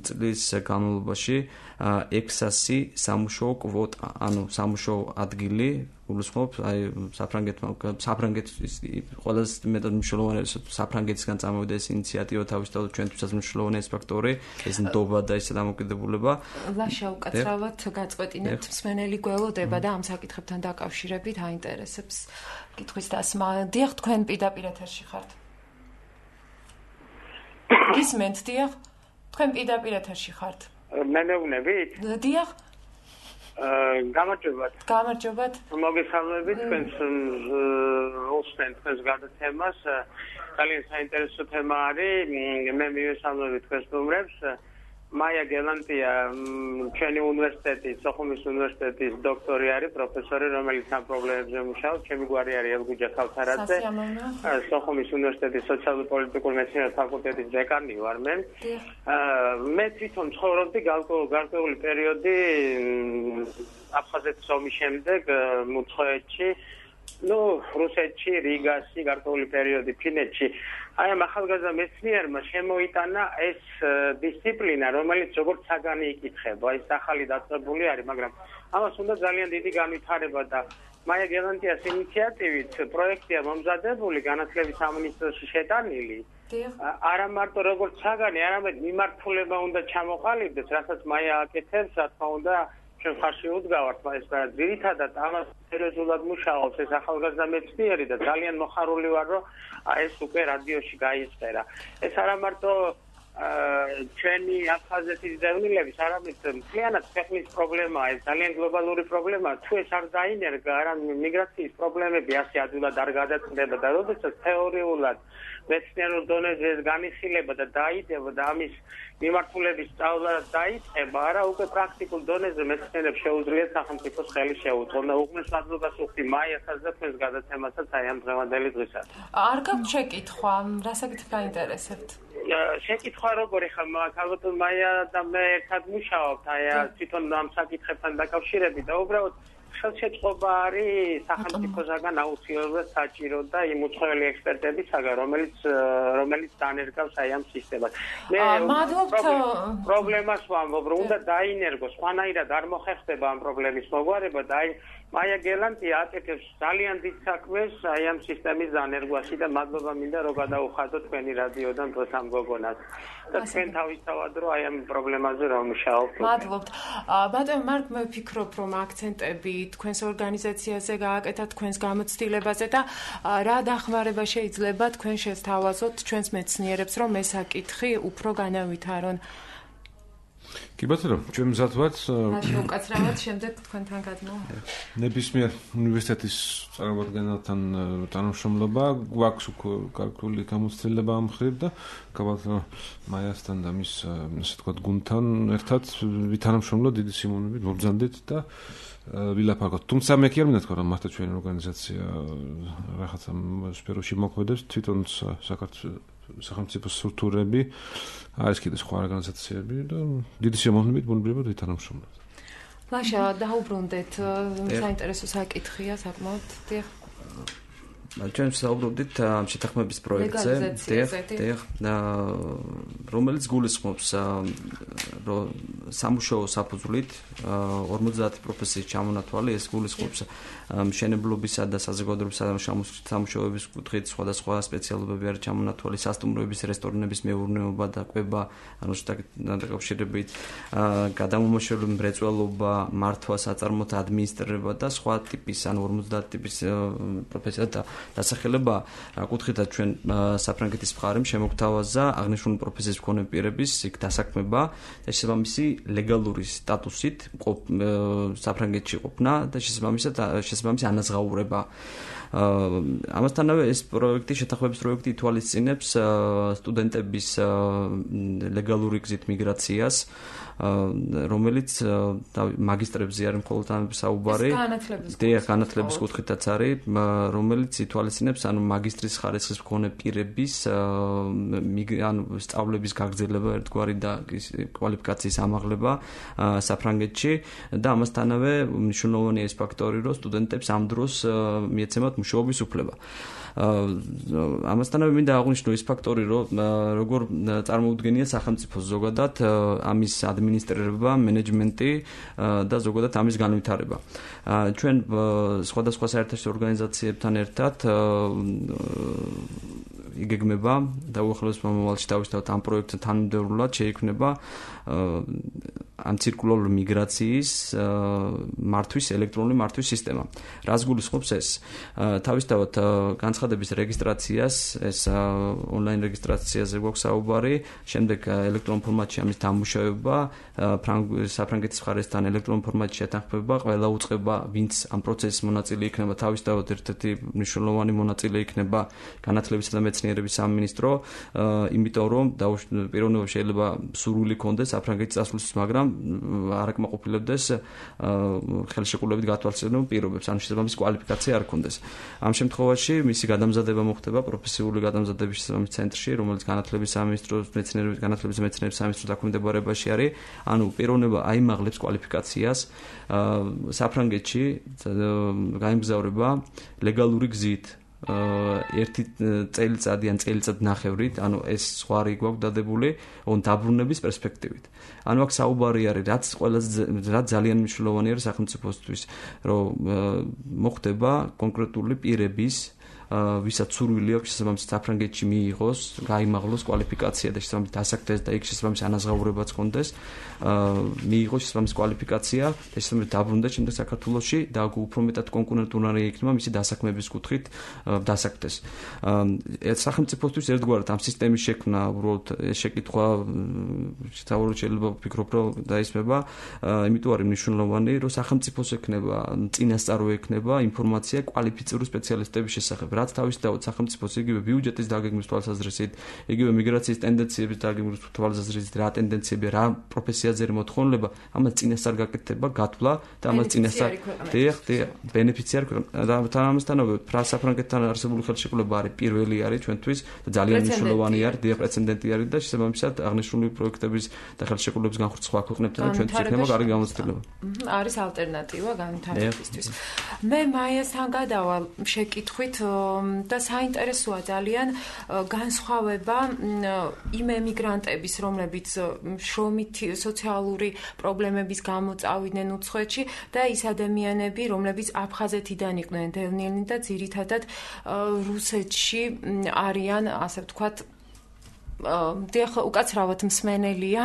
წლის განმავლობაში 600 სამუშაო კვოტა, ანუ სამუშაო ადგილი გულისხმობს აი საფრანგეთის ყველაზე მეტად მნიშვნელოვანი საფრანგეთისგან წამოვიდა ეს ინიციატივა თავისთავად ჩვენთვისაც მნიშვნელოვანი ეს ფაქტორი ეს ნდობა და ეს დამოკიდებულება ლაშა უკაცრავად გაწყვეტინებთ მსმენელი გველოდება და ამ საკითხებთან დაკავშირებით აინტერესებს კითხვის დასმა დიახ თქვენ პირდაპირ ეთერში ხართ გისმენთ დიახ თქვენ პირდაპირ ეთერში ხართ მე მეუბნებით დიახ გამარჯობათ მოგესალმებით თქვენს უსმენთ თქვენს გადაცემას ძალიან საინტერესო თემა არის მე მივესალმებით თქვენს სტუმრებს მაია გელანტია ჩვენი უნივერსიტეტის სოხუმის უნივერსიტეტის დოქტორი არის პროფესორი რომელიც ამ პრობლემებზე მუშაობს ჩემი გვარი არის ელგუჯა ქავთარაძე სოხუმის უნივერსიტეტის სოციალურ-პოლიტიკურ მეცნიერებათა ფაკულტეტის დეკანი ვარ მე თვითონ ცხოვრობდი გარკვეული პერიოდი აფხაზეთის ომის შემდეგ მუცხოვეთში რუსეთში რიგაში გარკვეული პერიოდი ფინეთში აი ამ ახალგაზრდა მეცნიერმა შემოიტანა ეს დისციპლინა რომელიც როგორც საგანი იკითხება ის ახალი დაწყებული არის მაგრამ ამას უნდა ძალიან დიდი განვითარება და მაია გელანტიას ინიციატივით პროექტია მომზადებული განათლების სამინისტროში შეტანილი არა მარტო როგორც საგანი არამედ მიმართულება უნდა ჩამოყალიბდეს რასაც მაია აკეთებს რა თქმა უნდა ჩვენ ხარში უდგავართ ეს ძირითადად ამას სერიოზულად მუშაობს ეს ახალგაზრდა მეცნიერი და ძალიან მოხარული ვარ რომ ეს უკვე რადიოში გაიწერა ეს არა მარტო ჩვენი აფხაზეთის დევნილების არამედ მთლიანად ქვეყნის პრობლემაა ეს ძალიან გლობალური პრობლემაა თუ ეს არ დაინერგა არა მიგრაციის პრობლემები ასე ადვილად არ გადაწყდება და როდესაც თეორიულად მეცნიერულ დონეზე ეს განიხილება და დაიდება და ამის მიმართულების სწავლა დაიწყება არა უკვე პრაქტიკულ დონეზე მეცნიერებს შეუძლიათ სახელმწიფოს ხელი შეუწყონ და უგმეს მადლობას ვუხდი მაიასაც და თქვენს გადაცემასაც აი ამ დღევანდელი დღისას არ გაქვთ შეკითხვა რა საკითხი გაინტერესებთ შეკითხვა როგორი ხმა ქალბატონ მაია და მე ერთად მუშაობთ აი თვითონ ამ საკითხებთან დაკავშირებით და უბრალოდ ხელშეწყობა არის სახელმწიფოსაგან აუცილებლად საჭირო და იმ უცხოელი ექსპერტებისაგან რომელიც დანერგავს აი ამ სისტემას მე პრობლემას ვამბობ რომ უნდა დაინერგოს სხვანაირად არ მოხერხდება ამ პრობლემის მოგვარება და აი მაია გელანტია აკეთებს ძალიან დიდ საქმეს აი ამ სისტემის დანერგვაში და მადლობა მინდა რომ გადაუხადოთ თქვენი რადიოდან დღეს ამ გოგონას და თქვენ თავისთავად რომ აი ამ პრობლემაზე რომ მუშაობთ მადლობთ ბატონო მარკ მე ვფიქრობ რომ აქცენტები თქვენს ორგანიზაციაზე გააკეთათ თქვენს გამოცდილებაზე და რა დახმარება შეიძლება თქვენ შესთავაზოთ ჩვენს მეცნიერებს რომ ეს საკითხი უფრო განავითარონ კი ბატონო, ჩვენ მზად ვართ. უკაცრავად შემდეგ თქვენთან გადმოვა. ნებისმიერ უნივერსიტეტის წარმომადგენელთან თანამშრომლობა გვაქვს გარკვეული გამოცდილება ამ მხრივ და გაბატონო მაიასთან და მის ასე ვთქვათ გუნდთან ერთად ვითანამშრომლოთ დიდი სიმონებით მობრძანდით და ვილაპარაკოთ. თუმცა მე კი არ მინდა თქვა რომ მართლა ჩვენი ორგანიზაცია რაღაცა სფეროში მოქმედებს თვითონ სახელმწიფო სტრუქტურები არის კიდე სხვა ორგანიზაციები და დიდი შემოქმედებით ბუნებრივად ვითანამშრომლობთ. ლაშა დაუბრუნდეთ საინტერესო საკითხია საკმაოდ დიახ ჩვენ ვსაუბრობდით ამ შეთანხმების პროექტზე რომელიც გულისხმობს სამუშაო საფუძვლით 50 პროფესიის ჩამონათვალი ეს გულისხმობს მშენებლობისა და საზოგადოებრივი სამუშაოების კუთხით სხვადასხვა სპეციალობები არის ჩამონათვალი სასტუმროების რესტორნების მეურნეობა და კვება ანუ დაკავშირებით გადამამუშავებელი მრეწველობა მართვა საწარმოთა ადმინისტრირება და სხვა ტიპის ანუ 50 ტიპის პროფესია და დასახელება კუთხითაც ჩვენ საფრანგეთის მხარემ შემოგთავაზა აღნიშნული პროფესიის მქონე პირების იქ დასაქმება და შესაბამისი ლეგალური სტატუსით საფრანგეთში ყოფნა და შესაბამისი ანაზღაურება. ამასთანავე ეს პროექტი შეთანხმების პროექტი ითვალისწინებს სტუდენტების ლეგალური გზით მიგრაციას რომელიც მაგისტრებზე არის მხოლოდ ამ საუბარი განათლების კუთხითაც არის რომელიც ითვალისწინებს ანუ მაგისტრის ხარისხის მქონე პირების ანუ სწავლების გაგრძელება ერთგვარი და კვალიფიკაციის ამაღლება საფრანგეთში და ამასთანავე მნიშვნელოვანია ეს ფაქტორი რომ სტუდენტებს ამ დროს მიეცემათ მუშაობის უფლება. ამასთანავე მინდა აღვნიშნო ის ფაქტორი, რომ როგორ წარმოუდგენია სახელმწიფოს ზოგადად ამის ადმინისტრირება, მენეჯმენტი და ზოგადად ამის განვითარება. ჩვენ სხვადასხვა საერთაშორისო ორგანიზაციებთან ერთად იგეგმება და უახლოეს მომავალში დავისთავთ ამ პროექტთან თანმიმდევრულად შეიქმნება ამ ცირკულარული მიგრაციის მართვის ელექტრონული მართვის სისტემა. რას გულისხმობს ეს? თავისთავად განცხადების რეგისტრაციას, ეს ონლაინ რეგისტრაციაზე გვაქვს საუბარი, შემდეგ ელექტრონულ ფორმატში ამის დამუშავება, საფრანგეთის მხარესთან ელექტრონულ ფორმატში შეთანხმება, ყველა უწყება, ვინც ამ პროცესის მონაწილე იქნება, თავისთავად ერთ-ერთი მნიშვნელოვანი მონაწილე იქნება განათლებისა და მეცნიერების სამინისტრო, იმიტომ რომ პიროვნებამ შეიძლება სურვილი ქონდეს საფრანგეთის წასვლისთვის, მაგრამ არ აკმაყოფილებდეს ხელშეკრულებით გათვალისწინებულ პირობებს, ანუ შესაბამისი კვალიფიკაცია არ ქონდეს. ამ შემთხვევაში მისი გადამზადება მოხდება პროფესიული გადამზადების შესაბამის ცენტრში, რომელიც განათლების სამინისტროს, განათლების და მეცნიერების სამინისტროს დაქვემდებარებაში არის. ანუ პიროვნება აიმაღლებს კვალიფიკაციას საფრანგეთში გაემგზავრება ლეგალური გზით. ერთი წელიწადი ან წელიწადნახევრით, ანუ ეს ზღვარი გვაქვს დადებული დაბრუნების პერსპექტივით. ანუ აქ საუბარი არის, რაც ძალიან მნიშვნელოვანი არის სახელმწიფოსთვის, რომ მოხდება კონკრეტული პირების ვისაც სურვილი აქვს შესაბამის საფრანგეთში მიიღოს, გაიმაღლოს კვალიფიკაცია და შესაბამის დასაქმდეს და იქ შესაბამის ანაზღაურებაც კონდეს, მიიღოს შესაბამის კვალიფიკაცია და შესაბამის დაბრუნდეს შემდეგ საქართველოში და უფრო მეტად კონკურენტული იქნება მისი დასაქმების კუთხით დასაქმდეს. სახელმწიფოსთვის ერთგვარად ამ სისტემის შექმნა უბრალოდ შეკითხვა შეიძლება ვფიქრობ, რომ დაისმება, იმიტომ არის მნიშვნელოვანი, რომ სახელმწიფოს ექნება, წინასწარ ექნება ინფორმაცია კვალიფიციური სპეციალისტების შესახებ. რაც თავისთავად სახელმწიფოს იგივე ბიუჯეტის დაგეგმვის თვალსაზრისით, იგივე მიგრაციის ტენდენციების დაგეგმვის თვალსაზრისით, რა ტენდენციები, რა პროფესიაზე მოთხოვნილება, ამას წინასწარ გაკეთება, გათვლა და ამას წინასწარ ბენეფიციარი ქვეყანა. ამასთანავე საფრანგეთთან არსებული ხელშეკრულება არის პირველი არის ჩვენთვის და ძალიან მნიშვნელოვანი არის, პრეცედენტი არის და შესაბამისად აღნიშნული პროექტების და ხელშეკრულების განხორციელება სხვა ქვეყნებთან ჩვენთვის იქნება კარგი გამოცდილება. არის ალტერნატივა განვითარებისთვის. მე მაიასთან გადავალ შეკითხვით და საინტერესოა ძალიან განსხვავება იმ ემიგრანტების, რომლებიც შრომითი სოციალური პრობლემების გამო წავიდნენ უცხოეთში და ის ადამიანები, რომლებიც აფხაზეთიდან იყვნენ დევნილნი და ძირითადად რუსეთში არიან, ასე ვთქვათ, დიახ, უკაცრავად მსმენელია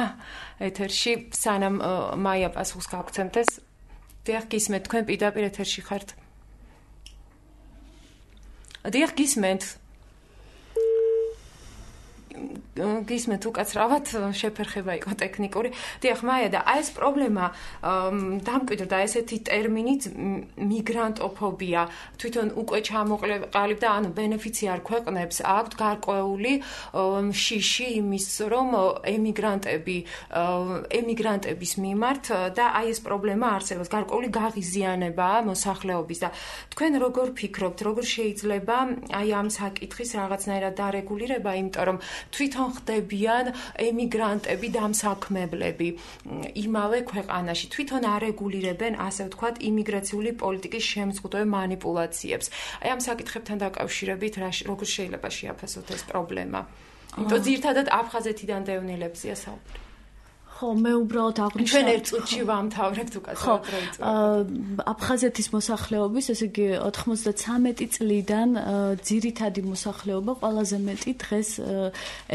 ეთერში, სანამ მაია პასუხს გაგცემდეს. დიახ, გისმენთ, თქვენ პირდაპირ ეთერში ხართ. დიახ, გისმენთ უკაცრავად, შეფერხება იყო ტექნიკური. დიახ, მაია და ეს პრობლემა დამკვიდრდა ესეთი ტერმინით მიგრანტოფობია. თვითონ უკვე ჩამოყალიბდა, ანუ ბენეფიციარ ქვეყნებს აქვთ გარკვეული შიში იმის, რომ ემიგრანტების მიმართ და აი ეს პრობლემა არსებობს, გარკვეული გაღიზიანებაა მოსახლეობის და თქვენ როგორ ფიქრობთ, როგორ შეიძლება აი ამ საკითხის რაღაცნაირად დარეგულირება, იმიტომ რომ თვითონ ხდებიან ემიგრანტები დამსაქმებლები იმავე ქვეყანაში, თვითონ არეგულირებენ, ასე ვთქვათ, იმიგრაციული პოლიტიკის შემზღუდველ მანიპულაციებს. აი ამ საკითხებთან დაკავშირებით როგორ შეიძლება შეაფასოთ ეს პრობლემა? იმიტომ ძირითადად აფხაზეთიდან დევნილებზია საუბარი. ხო, მე უბრალოდ აღვნიშნე. ჩვენ ერთ წუთში ვამთავრებთ უკაცრავად დროით. აფხაზეთის მოსახლეობის, ესე იგი 93 წლიდან ძირითადი მოსახლეობა ყველაზე მეტი დღეს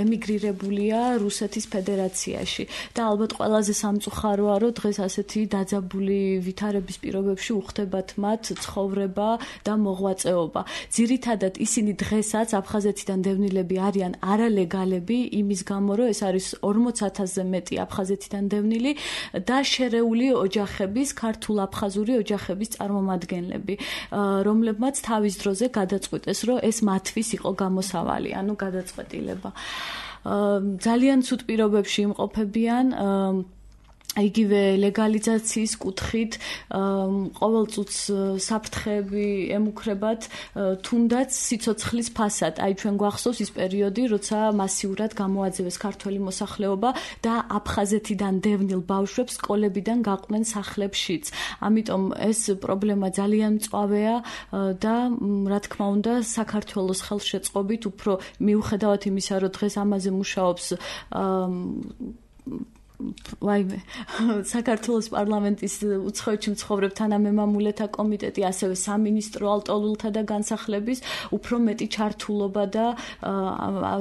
ემიგრირებულია რუსეთის ფედერაციაში და ალბათ ყველაზე სამწუხაროა, რომ დღეს ასეთი დაძაბული ვითარების პირობებში უხდებათ მათ ცხოვრება და მოღვაწეობა. ძირითადად ისინი დღესაც აფხაზეთიდან დევნილები არიან არალეგალები, იმის გამო, რომ ეს არის 40,000-ზე მეტი აფხაზეთიდან დევნილი და შერეული ოჯახების, ქართულ-აფხაზური ოჯახების წარმომადგენლები, რომლებმაც თავის დროზე გადაწყვიტეს, რომ ეს მათთვის იყო გამოსავალი, ანუ გადაწყვეტილება. ძალიან ცუდ პირობებში იმყოფებიან იგივე ლეგალიზაციის კუთხით ყოველწუთს საფრთხეები ემუქრებათ თუნდაც სიცოცხლის ფასად. აი ჩვენ გვახსოვს ის პერიოდი, როცა მასიურად გამოაძევეს ქართველი მოსახლეობა და აფხაზეთიდან დევნილ ბავშვებს სკოლებიდან გაყვნენ სახლებშიც. ამიტომ ეს პრობლემა ძალიან მწვავეა და რა თქმა უნდა საქართველოს ხელშეწყობით უფრო მიუხედავად იმისა, რომ დღეს ამაზე მუშაობს საქართველოს პარლამენტის უცხოეთში მცხოვრებ თანამემამულეთა კომიტეტი, ასევე სამინისტრო ალტოლულთა და განსახლების უფრო მეტი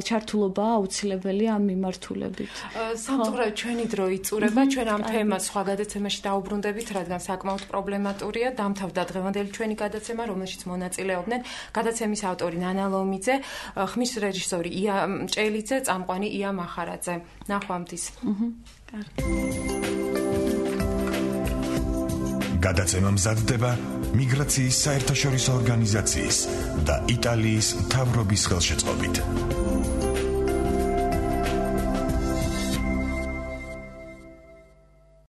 ჩართულობა აუცილებელია ამ მიმართულებით. სამწუხაროდ ჩვენი დრო იწურება, ჩვენ ამ თემას სხვა გადაცემაში დაუბრუნდებით, რადგან საკმაოდ პრობლემატურია. დამთავრდა დღევანდელი ჩვენი გადაცემა, რომელშიც მონაწილეობდნენ გადაცემის ავტორი ნანა ლომიძე, ხმის რეჟისორი ია მჭელიძე, წამყვანი ია მახარაძე. ნახვამდის. გადაცემა მზადდება მიგრაციის საერთაშორისო ორგანიზაციის და იტალიის მთავრობის ხელშეწყობით.